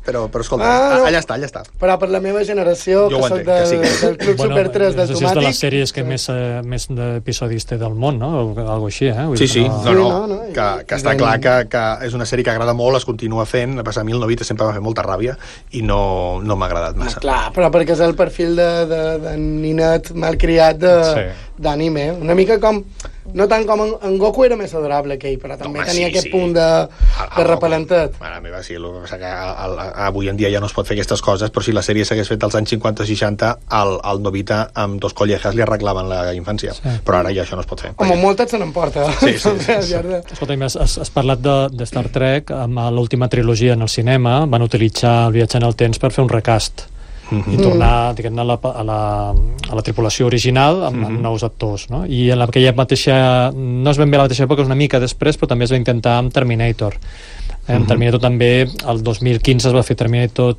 però escolta, allà està. Però per la meva generació, que soc del Club Super 3 del Tomàtic... És de les sèries que més d'episodis té del món, no? Algo així, eh? Sí, que està clar que és una sèrie que agrada molt, es continua fent, a passar a mi el Novita sempre va fer molta ràbia i no m'ha agradat massa. Clar, però perquè és el perfil de ninet malcriat d'anime. Una mica com... No tant com en Goku era més adorable que ell, però també tenia aquest punt de repelentet. Mare meva, sí, que avui en dia ja no es pot fer aquestes coses, però si la sèrie s'hagués fet als anys 50-60, al Novita amb 2 collejas li arreglaven la infància. Però ara ja això no es pot fer. Home, moltes se n'emporta. Sí. Escolta, has parlat de Star Trek, amb l'última trilogia en el cinema van utilitzar el viatge en el temps per fer un recast i tornar, diguem-ne, a la tripulació original amb nous actors, no? I en aquella mateixa, no és ben bé la mateixa època, és una mica després, però també es va intentar amb Terminator. En Terminator també, el 2015 es va fer Terminator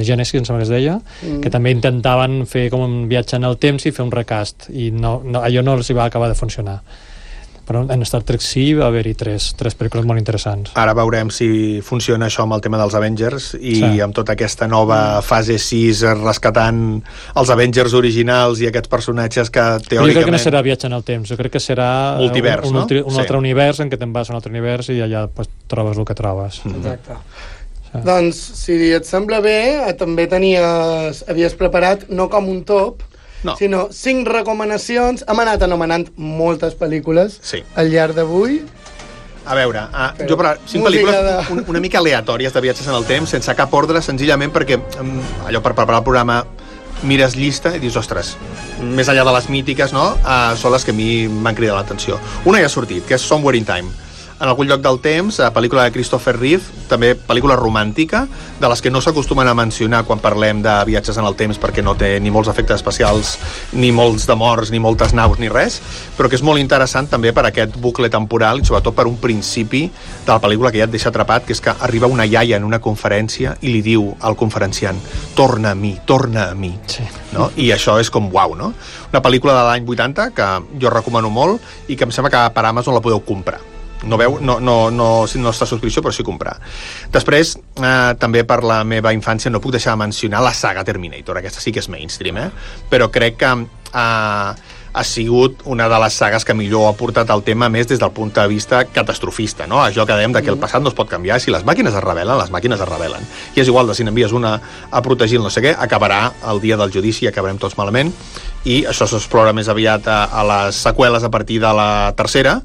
Genesis, em sembla que es deia, que també intentaven fer com un viatge en el temps i fer un recast, i allò no els hi va acabar de funcionar. Però en Star Trek sí va haver-hi tres pel·lícules molt interessants. Ara veurem si funciona això amb el tema dels Avengers i amb tota aquesta nova fase 6 rescatant els Avengers originals i aquests personatges que teòricament... Jo crec que no serà viatge en el temps, jo crec que serà multivers, un altre univers en què te'n vas a un altre univers i allà trobes el que trobes. Exacte. Doncs, si et sembla bé, també havies preparat, no com un top, sinó 5 recomanacions. Hem anat anomenant moltes pel·lícules al llarg d'avui. A veure, jo per 5 pel·lícules una mica aleatòries de viatges en el temps, sense cap ordre, senzillament perquè allò per preparar el programa mires llista i dius, ostres, més enllà de les mítiques, no? Són les que a mi m'han cridat l'atenció. Una ja ha sortit, que és Somewhere in Time. En algun lloc del temps, pel·lícula de Christopher Reeve, també pel·lícula romàntica, de les que no s'acostumen a mencionar quan parlem de viatges en el temps, perquè no té ni molts efectes especials, ni molts de morts, ni moltes naus, ni res, però que és molt interessant també per aquest bucle temporal i sobretot per un principi de la pel·lícula que ja et deixa atrapat, que és que arriba una iaia en una conferència i li diu al conferenciant, torna a mi, no? I això és com uau, no? Una pel·lícula de l'any 80 que jo recomano molt i que em sembla que per Amazon la podeu comprar. No està a subscripció, però sí comprar. Després, també per la meva infància no puc deixar de mencionar la saga Terminator. Aquesta sí que és mainstream, però crec que ha sigut una de les sagues que millor ha portat el tema més des del punt de vista catastrofista, no? Això que dèiem que el passat no es pot canviar, si les màquines es rebel·len, les màquines es rebel·len. I és igual de si n'envies una a protegir el no sé què, acabarà el dia del judici i acabarem tots malament, i això s'explora més aviat a les seqüeles a partir de la tercera,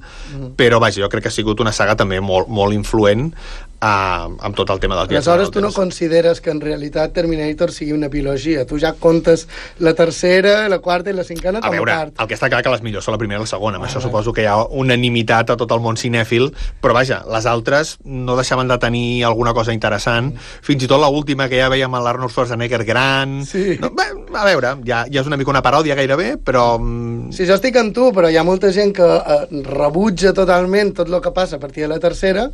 però vaja, jo crec que ha sigut una saga també molt influent amb tot el tema dels viatges. Aleshores, tu no consideres que en realitat Terminator sigui una trilogia? Tu ja comptes la tercera, la quarta i la cinquena com a part. El que està clar que les millors són la primera i la segona. Amb això suposo que hi ha unanimitat a tot el món cinèfil, però vaja, les altres no deixaven de tenir alguna cosa interessant. Fins i tot l'última, que ja veiem l'Arnold Schwarzenegger gran... Sí. No, bé, a veure, ja és una mica una paròdia gairebé, però... Sí, jo estic amb tu, però hi ha molta gent que rebutja totalment tot el que passa a partir de la tercera.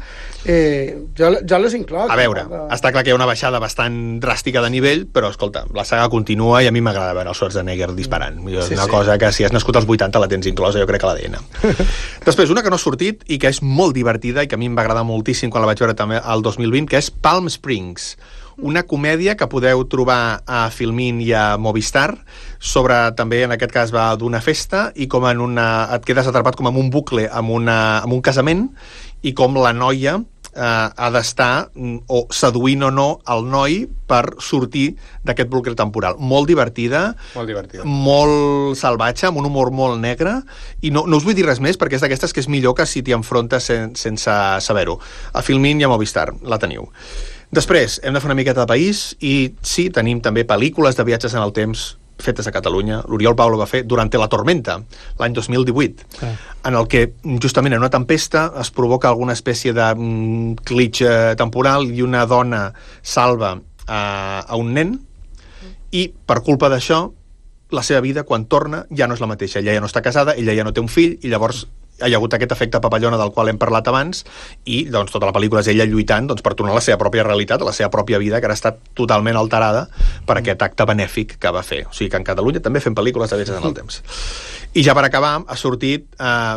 Jo les incloc. A veure, està clar que hi ha una baixada bastant dràstica de nivell, però, escolta, la saga continua i a mi m'agrada veure el Schwarzenegger disparant. És una cosa que, si has nascut als 80, la tens inclosa, jo crec que a l'ADN. Després, una que no ha sortit i que és molt divertida i que a mi em va agradar moltíssim quan la vaig veure també el 2020, que és Palm Springs, una comèdia que podeu trobar a Filmin i a Movistar, sobre, també en aquest cas va d'una festa, i com et quedes atrapat com en un bucle, amb un casament, i com la noia ha d'estar o seduint o no el noi per sortir d'aquest bucle temporal. Molt divertida, molt salvatge, amb un humor molt negre, i no us vull dir res més perquè és d'aquestes que és millor que si t'hi enfrontes sense saber-ho. A Filmin i a Movistar la teniu. Després, hem de fer una miqueta de país, i sí, tenim també pel·lícules de viatges en el temps fetes a Catalunya. L'Oriol Paulo va fer Durante la tormenta, l'any 2018, en el que justament en una tempesta es provoca alguna espècie de glitch temporal i una dona salva a un nen, i per culpa d'això la seva vida, quan torna, ja no és la mateixa. Ella ja no està casada, ella ja no té un fill, i llavors hi ha hagut aquest efecte papallona del qual hem parlat abans, i doncs tota la pel·lícula és ella lluitant per tornar a la seva pròpia realitat, a la seva pròpia vida, que ara està totalment alterada per aquest acte benèfic que va fer. O sigui que en Catalunya també fem pel·lícules de viatges en el temps. I ja per acabar, ha sortit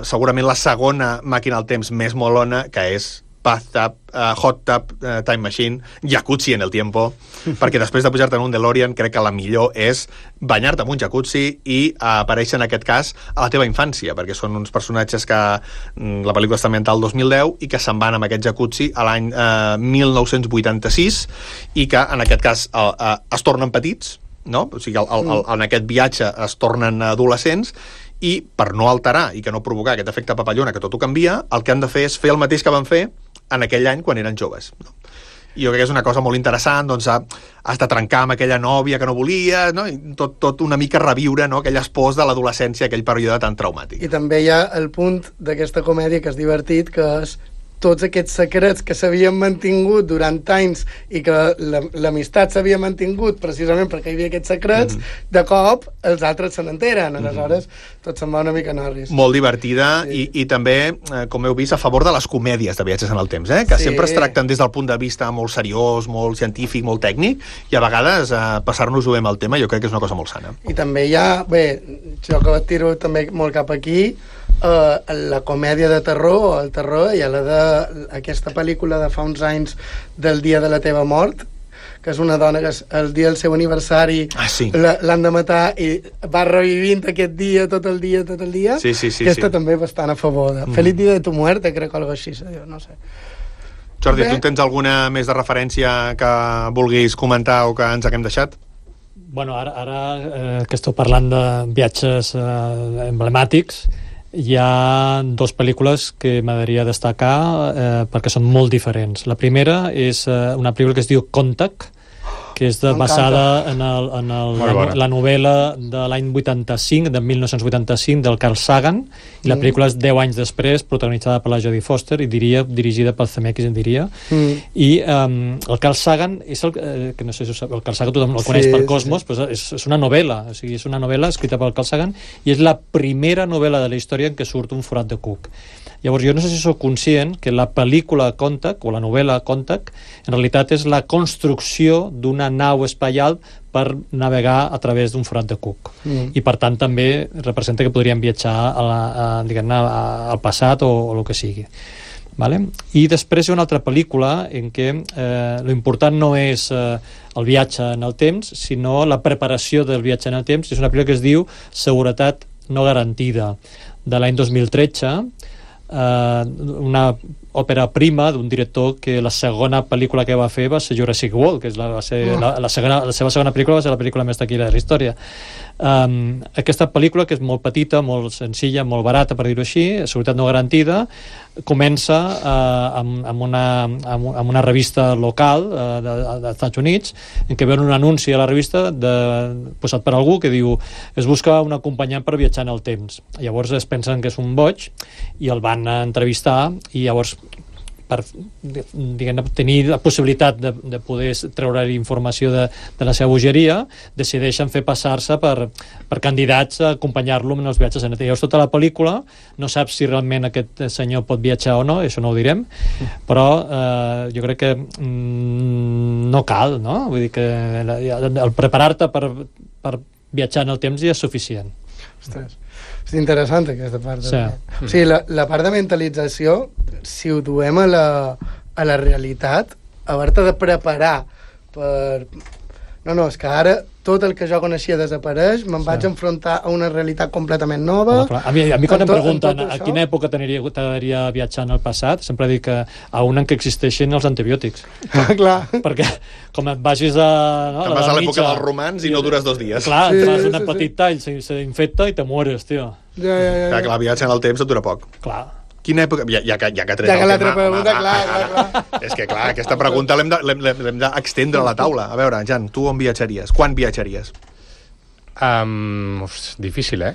segurament la segona màquina del temps més molona, que és Bathtub, Hot Tub, Time Machine, Jacuzzi en el tiempo, perquè després de pujar-te en un DeLorean crec que la millor és banyar-te en un jacuzzi i aparèixer en aquest cas a la teva infància, perquè són uns personatges que la pel·lícula està ambientada al 2010 i que se'n van amb aquest jacuzzi a l'any 1986, i que en aquest cas es tornen petits, no? O sigui, en aquest viatge es tornen adolescents, i per no alterar i que no provocar aquest efecte papallona que tot ho canvia, el que han de fer és fer el mateix que van fer en aquell any quan eren joves, no? I jo crec que és una cosa molt interessant, doncs has de trencar amb aquella nòvia que no volies, no? I tot una mica reviure, no? Aquelles pors de l'adolescència, aquell període tan traumàtic. I també hi ha el punt d'aquesta comèdia que és divertit, que és tots aquests secrets que s'havien mantingut durant anys i que l'amistat s'havia mantingut precisament perquè hi havia aquests secrets, de cop els altres se n'enteren, aleshores tot se'n va una mica norris. Molt divertida, i també, com heu vist, a favor de les comèdies de viatges en el temps, que sempre es tracten des del punt de vista molt seriós, molt científic, molt tècnic, i a vegades passar-nos-ho amb el tema jo crec que és una cosa molt sana. I també hi ha, jo que tiro també molt cap aquí, la comèdia de terror, el terror, i aquesta pel·lícula de fa uns anys del dia de la teva mort, que és una dona que el dia del seu aniversari l'han de matar i va revivint aquest dia, tot el dia. Aquesta també bastant a favor de Feliz dia de tu muerte, crec que algo així se diu, no sé. Jordi, tu tens alguna més de referència que vulguis comentar o que ens haguem deixat? Bueno, ara que esteu parlant de viatges emblemàtics, hi ha dues pel·lícules que m'agradaria destacar perquè són molt diferents. La primera és una pel·lícula que es diu Contact, que és basada en la novel·la de l'any 85, de 1985, del Carl Sagan, i la pel·lícula és 10 anys després, protagonitzada per la Jodie Foster, i dirigida per Zemeckis, i el Carl Sagan, que no sé si ho sabeu, el Carl Sagan tothom el coneix per Cosmos, però és una novel·la, o sigui, és una novel·la escrita per Carl Sagan, i és la primera novel·la de la història en què surt un forat de cuc. Llavors, jo no sé si sou conscient que la pel·lícula Contact, o la novel·la Contact, en realitat és la construcció d'una nau espacial per navegar a través d'un forat de cuc. I per tant també representa que podríem viatjar al passat o el que sigui. Vale? I després hi ha una altra pel·lícula en què l'important no és el viatge en el temps, sinó la preparació del viatge en el temps. És una pel·lícula que es diu Seguretat no garantida de l'any 2013, una òpera prima d'un director que la segona pel·lícula que va fer va ser Jurassic World, que va ser la seva segona pel·lícula va ser la pel·lícula més taquillera de la història. Aquesta pel·lícula, que és molt petita, molt senzilla, molt barata, per dir-ho així, seguretat no garantida, comença amb una revista local dels Estats Units, en què veuen un anunci a la revista posat per algú que diu es busca un acompanyant per viatjar en el temps. Llavors es pensen que és un boig i el van entrevistar, i llavors per tenir la possibilitat de poder treure informació de la seva bogeria, decideixen fer passar-se per candidats a acompanyar-lo en els viatges en el temps. Llavors tota la pel·lícula no saps si realment aquest senyor pot viatjar o no, això no ho direm, però jo crec que no cal, no? Vull dir que el preparar-te per viatjar en el temps ja és suficient. Ostres, és interessant aquesta part. Sí. O sigui, la part de mentalització, si ho duem a la realitat, haver-te de preparar per... No, és que ara tot el que jo coneixia desapareix, me'n vaig enfrontar a una realitat completament nova. A mi quan em pregunten a quina època t'agradaria viatjar en el passat, sempre dic que a una en què existeixin els antibiòtics. Clar. Perquè com et vagis a... Te'n vas a l'època dels romans i no dures 2 dies. Clar, et fas un petit tall, s'infecta i te mueres, tio. Clar, que la viatge en el temps et dura poc. Clar. Quina època... Ja que ha tret el tema... Clar. És que, clar, aquesta pregunta l'hem d'extendre a la taula. A veure, Jan, tu on viatjaries? Quan viatjaries? Difícil,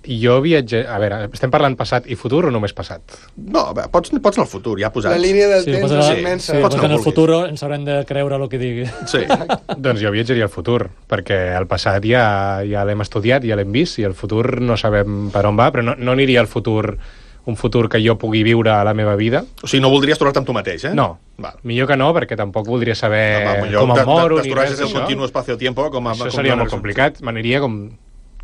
Jo viatge... A veure, estem parlant passat i futur o només passat? No, pots anar al futur, ja posats. La línia del temps és immensa. Sí, pots anar al futur ens haurem de creure el que digui. Sí. Doncs jo viatjaria al futur, perquè el passat ja l'hem estudiat, ja l'hem vist, i el futur no sabem per on va, però no aniria al futur... un futur que jo pugui viure a la meva vida. O sigui, no voldries trobar-te amb tu mateix, No, millor que no, perquè tampoc voldria saber com em moro ni res d'això. El continu espacio-tiempo, això seria molt complicat. M'aniria com,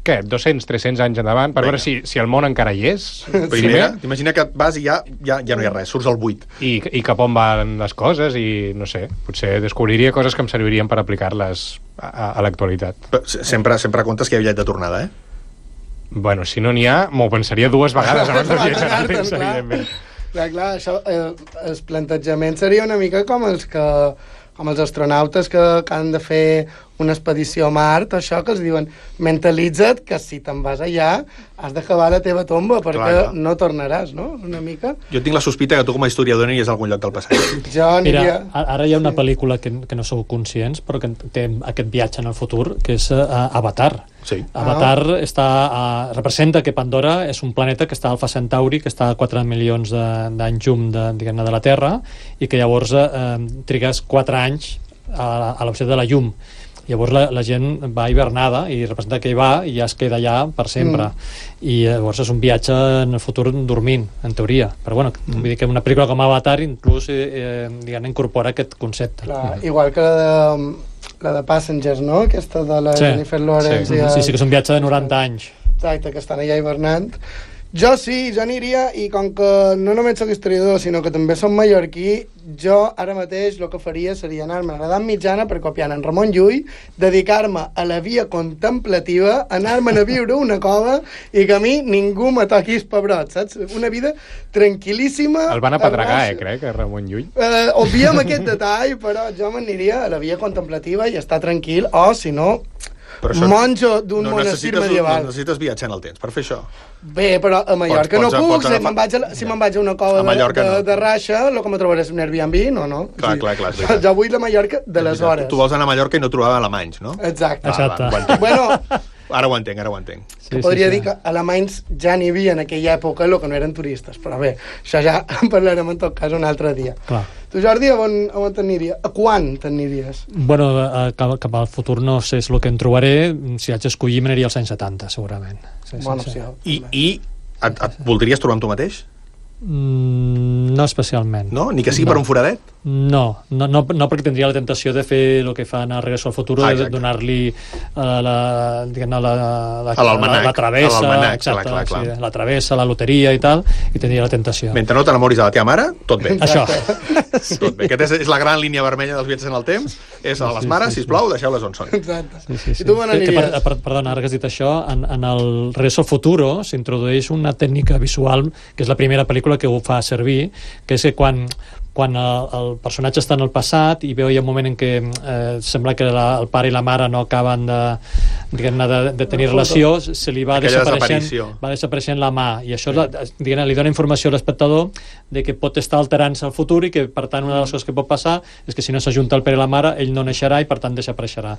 200, 300 anys endavant, per veure si el món encara hi és. T'imagina que vas i ja no hi ha res, surts al buit. I cap on van les coses, i no sé, potser descobriria coses que em servirien per aplicar-les a l'actualitat. Sempre comptes que hi ha bitllet de tornada, Bueno, si no n'hi ha, m'ho pensaria 2 vegades abans de viatjar en el temps, evidentment. Clar, això, el plantejament seria una mica com els astronautes que han de fer una expedició a Mart, això que els diuen, mentalitza't que si te'n vas allà has d'acabar la teva tomba, perquè no tornaràs, no? Una mica. Jo tinc la sospita que tu com a historiador aniries a algun lloc del passat. Jo aniria... Mira, ara hi ha una pel·lícula que no sou conscients, però que té aquest viatge en el futur, que és Avatar. Sí. Avatar representa que Pandora és un planeta que està a Alfa Centauri, que està a 4 milions d'anys llum de la Terra, i que llavors trigues 4 anys a la velocitat de la llum. Llavors la gent va hivernada i representa que hi va i ja es queda allà per sempre. I llavors és un viatge en el futur dormint, en teoria. Però bueno, vull dir que una pel·lícula com Avatar inclús incorpora aquest concepte. Clar, igual que la de Passengers, no? Aquesta de la Jennifer Lawrence. Sí, que és un viatge de 90 anys. Exacte, que estan allà hivernant. Jo aniria, i com que no només soc historiador, sinó que també som mallorquí, jo ara mateix el que faria seria anar-me a l'edat mitjana per copiar en Ramon Llull, dedicar-me a la via contemplativa, anar-me'n a viure una cova i que a mi ningú me toqui els pebrots, saps? Una vida tranquil·líssima. El van apedregar, crec, a Ramon Llull. Obviem aquest detall, però jo m'aniria a la via contemplativa i estar tranquil, o si no... monjo d'un monestir medieval. No necessites viatjar en el temps per fer això. Bé, però a Mallorca no puc. Si me'n vaig a una cova de Raixa, el que me trobaré és un Airbnb, no. Clar. Jo vull la Mallorca de les hores. Tu vols anar a Mallorca i no trobar alemanys, no? Exacte. Bueno... Ara ho entenc. Podria dir que alemanys ja n'hi havia en aquella època, el que no eren turistes, però bé, això ja en parlarem en tot cas un altre dia. Clar. Tu, Jordi, on t'aniries? A quan t'aniries? Bueno, cap al futur no sé el que em trobaré. Si haig d'escollir, m'aniria als anys 70, segurament. Bona opció. I et voldries trobar amb tu mateix? No especialment. No? Ni que sigui per un foradet? No, perquè tindria la tentació de fer el que fan a Regreso al Futuro, de donar-li la travessa, exacte, clar. La travessa, la loteria i tal, i tindria la tentació. Mentre no t'enamoris de la teva mare, tot bé. Això. Tot bé. Aquesta és la gran línia vermella dels viatges en el temps, és a les mares, sisplau, deixeu-les on són. Exacte. Sí. I tu me n'aniries? Perdona, ara que has dit això, en el Regreso al Futuro s'introdueix una tècnica visual, que és la primera pel·lícula que ho fa servir, que és que quan el personatge està en el passat i veu hi ha un moment en què sembla que el pare i la mare no acaben de tenir relació, se li va desapareixent la mà, i això li dona informació a l'espectador de que pot estar alterant-se al futur i que per tant una de les coses que pot passar és que si no s'ajunta el pare i la mare ell no naixerà i per tant desapareixerà.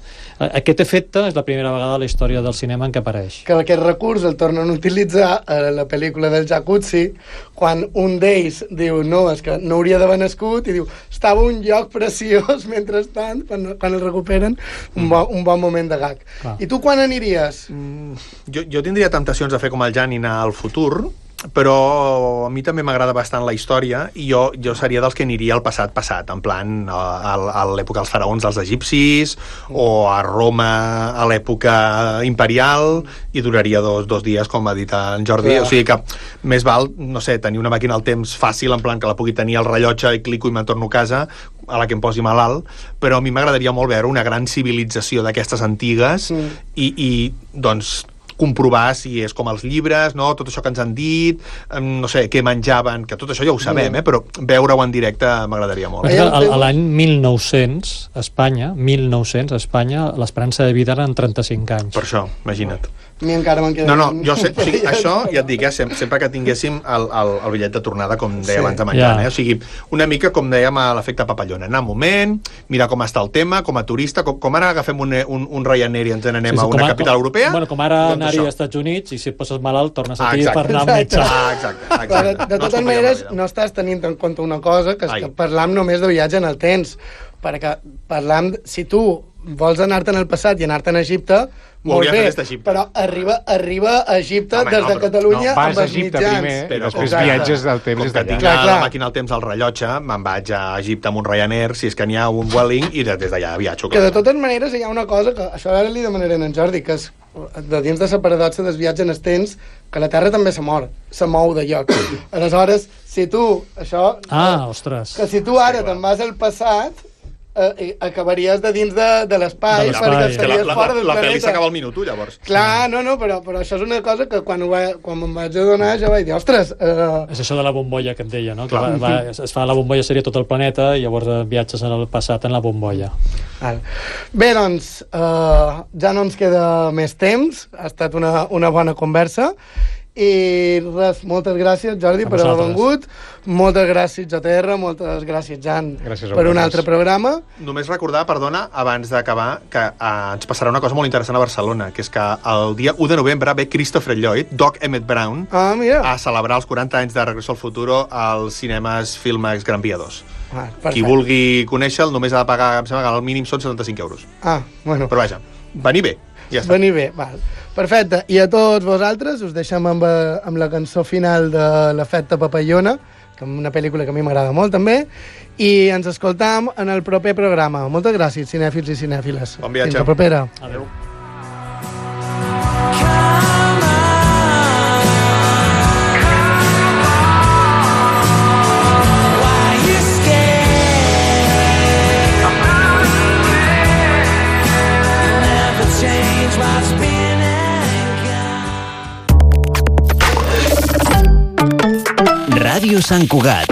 Aquest efecte és la primera vegada a la història del cinema en què apareix. Que aquest recurs el tornen a utilitzar a la pel·lícula del Jacuzzi, quan un d'ells diu no, és que no hauria d'haver nascut, i diu, estava un lloc preciós mentrestant, quan el recuperen, un bon moment de gag. Clar. I tu quan aniries? Jo tindria temptacions de fer com el Jan i anar al futur, però a mi també m'agrada bastant la història i jo seria dels que aniria al passat, en plan a l'època dels faraons dels egipcis o a Roma a l'època imperial i duraria dos dies, com ha dit en Jordi. O sigui que més val, no sé, tenir una màquina al temps fàcil, en plan que la pugui tenir al rellotge i clico i me'n torno a casa, a la que em posi malalt, però a mi m'agradaria molt veure una gran civilització d'aquestes antigues i doncs comprovar si és com els llibres, no? Tot això que ens han dit, no sé, què menjaven, que tot això ja ho sabem, però veure-ho en directe m'agradaria molt. A l'any 1900, a Espanya, l'esperança de vida eren 35 anys. Per això, imagina't. A mi encara me'n queda... No, jo sé, o sigui, això ja et dic, sempre que tinguéssim el bitllet de tornada, com deia abans de menjar, o sigui, una mica com dèiem a l'efecte papallona, anar un moment, mirar com està el tema, com a turista, com ara agafem un Ryanair i ens n'anem a una capital europea. Bueno, com ara anar-hi als Estats Units i si et poses malalt tornes aquí per anar al metge. Exacte. De totes maneres, no estàs tenint en compte una cosa, que és que parlam només de viatge en el temps, perquè parlam, si tu vols anar-te en el passat i anar-te a Egipte, molt bé, però arriba a Egipte des de Catalunya amb els mitjans. Però després viatges del temps des d'allà. Tinc la màquina al temps al rellotge, me'n vaig a Egipte amb un Ryanair, si és que n'hi ha un Vueling, i des d'allà viatjo. Que de totes maneres hi ha una cosa, que això ara li demanaré a en Jordi, que és de dins de la paradoxa del viatge en el temps, que la Terra també se mou de lloc. Aleshores, si tu, això... ostres. Que si tu ara te'n vas al passat, acabaries de dins de l'espai, perquè estaries fora del planeta. La pel·li s'acaba al minut, llavors. Clar, però això és una cosa que quan me'n vaig adonar jo vaig dir, ostres... És això de la bombolla que et deia, no? Que es fa la bombolla, seria tot el planeta, i llavors viatges en el passat en la bombolla. Bé, doncs, ja no ens queda més temps, ha estat una bona conversa, i res, moltes gràcies Jordi per haver vengut, moltes gràcies JTR, moltes gràcies Jan per un altre programa. Només recordar, perdona, abans d'acabar, que ens passarà una cosa molt interessant a Barcelona, que és que el dia 1 de novembre ve Christopher Lloyd, Doc Emmett Brown, a celebrar els 40 anys de Regreso al Futuro als cinemes Filmax Gran Via 2. Qui vulgui conèixer-lo només ha de pagar, em sembla que al mínim són 75 euros. Bueno. Però vaja, venir bé. Ja està. Venir bé, val. Perfecte. I a tots vosaltres us deixem amb la cançó final de l'Efecte Papallona, que és una pel·lícula que a mi m'agrada molt també, i ens escoltam en el proper programa. Moltes gràcies, cinèfils i cinèfiles. Bon viatge. Fins la propera. Adéu. Ràdio Sant Cugat,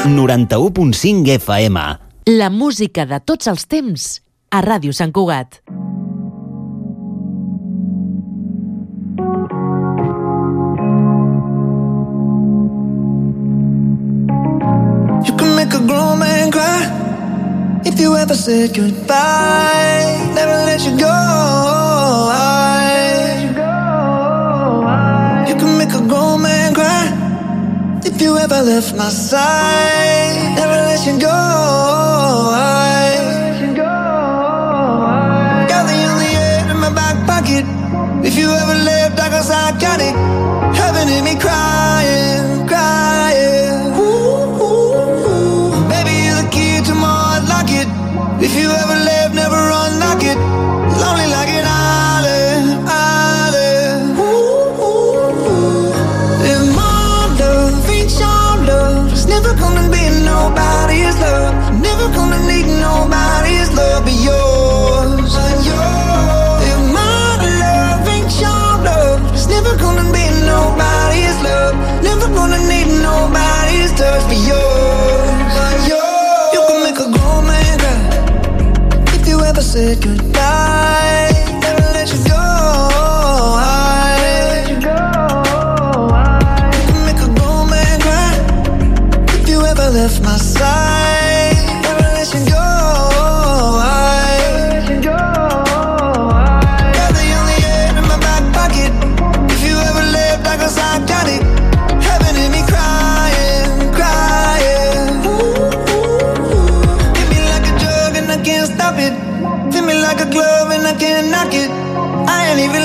91.5 FM. La música de tots els temps a Ràdio Sant Cugat. You can make a grown man cry if you ever said goodbye. Never let you go. You can make a grown man cry if you ever left my side. Never let you go. Got the only air in my back pocket. If you ever left, I guess I got it. Heaven in me crying, crying. Ooh, ooh, ooh. Baby, you're the key to my If you ever left, never run like it. Lonely like an island, island. If my love ain't your love, it's never gonna be nobody's love. Never gonna need nobody's love but yours. If my love ain't your love, it's never gonna be nobody's love. Never gonna need nobody's touch but yours. You can make a grown man cry if you ever said goodbye. Never let you go. You can make a grown man cry if you ever left my side. Never let you go. You're the only air in my back pocket. If you ever left, I guess I got it. Heaven in me crying, crying. Hit me like a drug and I can't stop it. Fit me like a glove and I can't knock it. I ain't even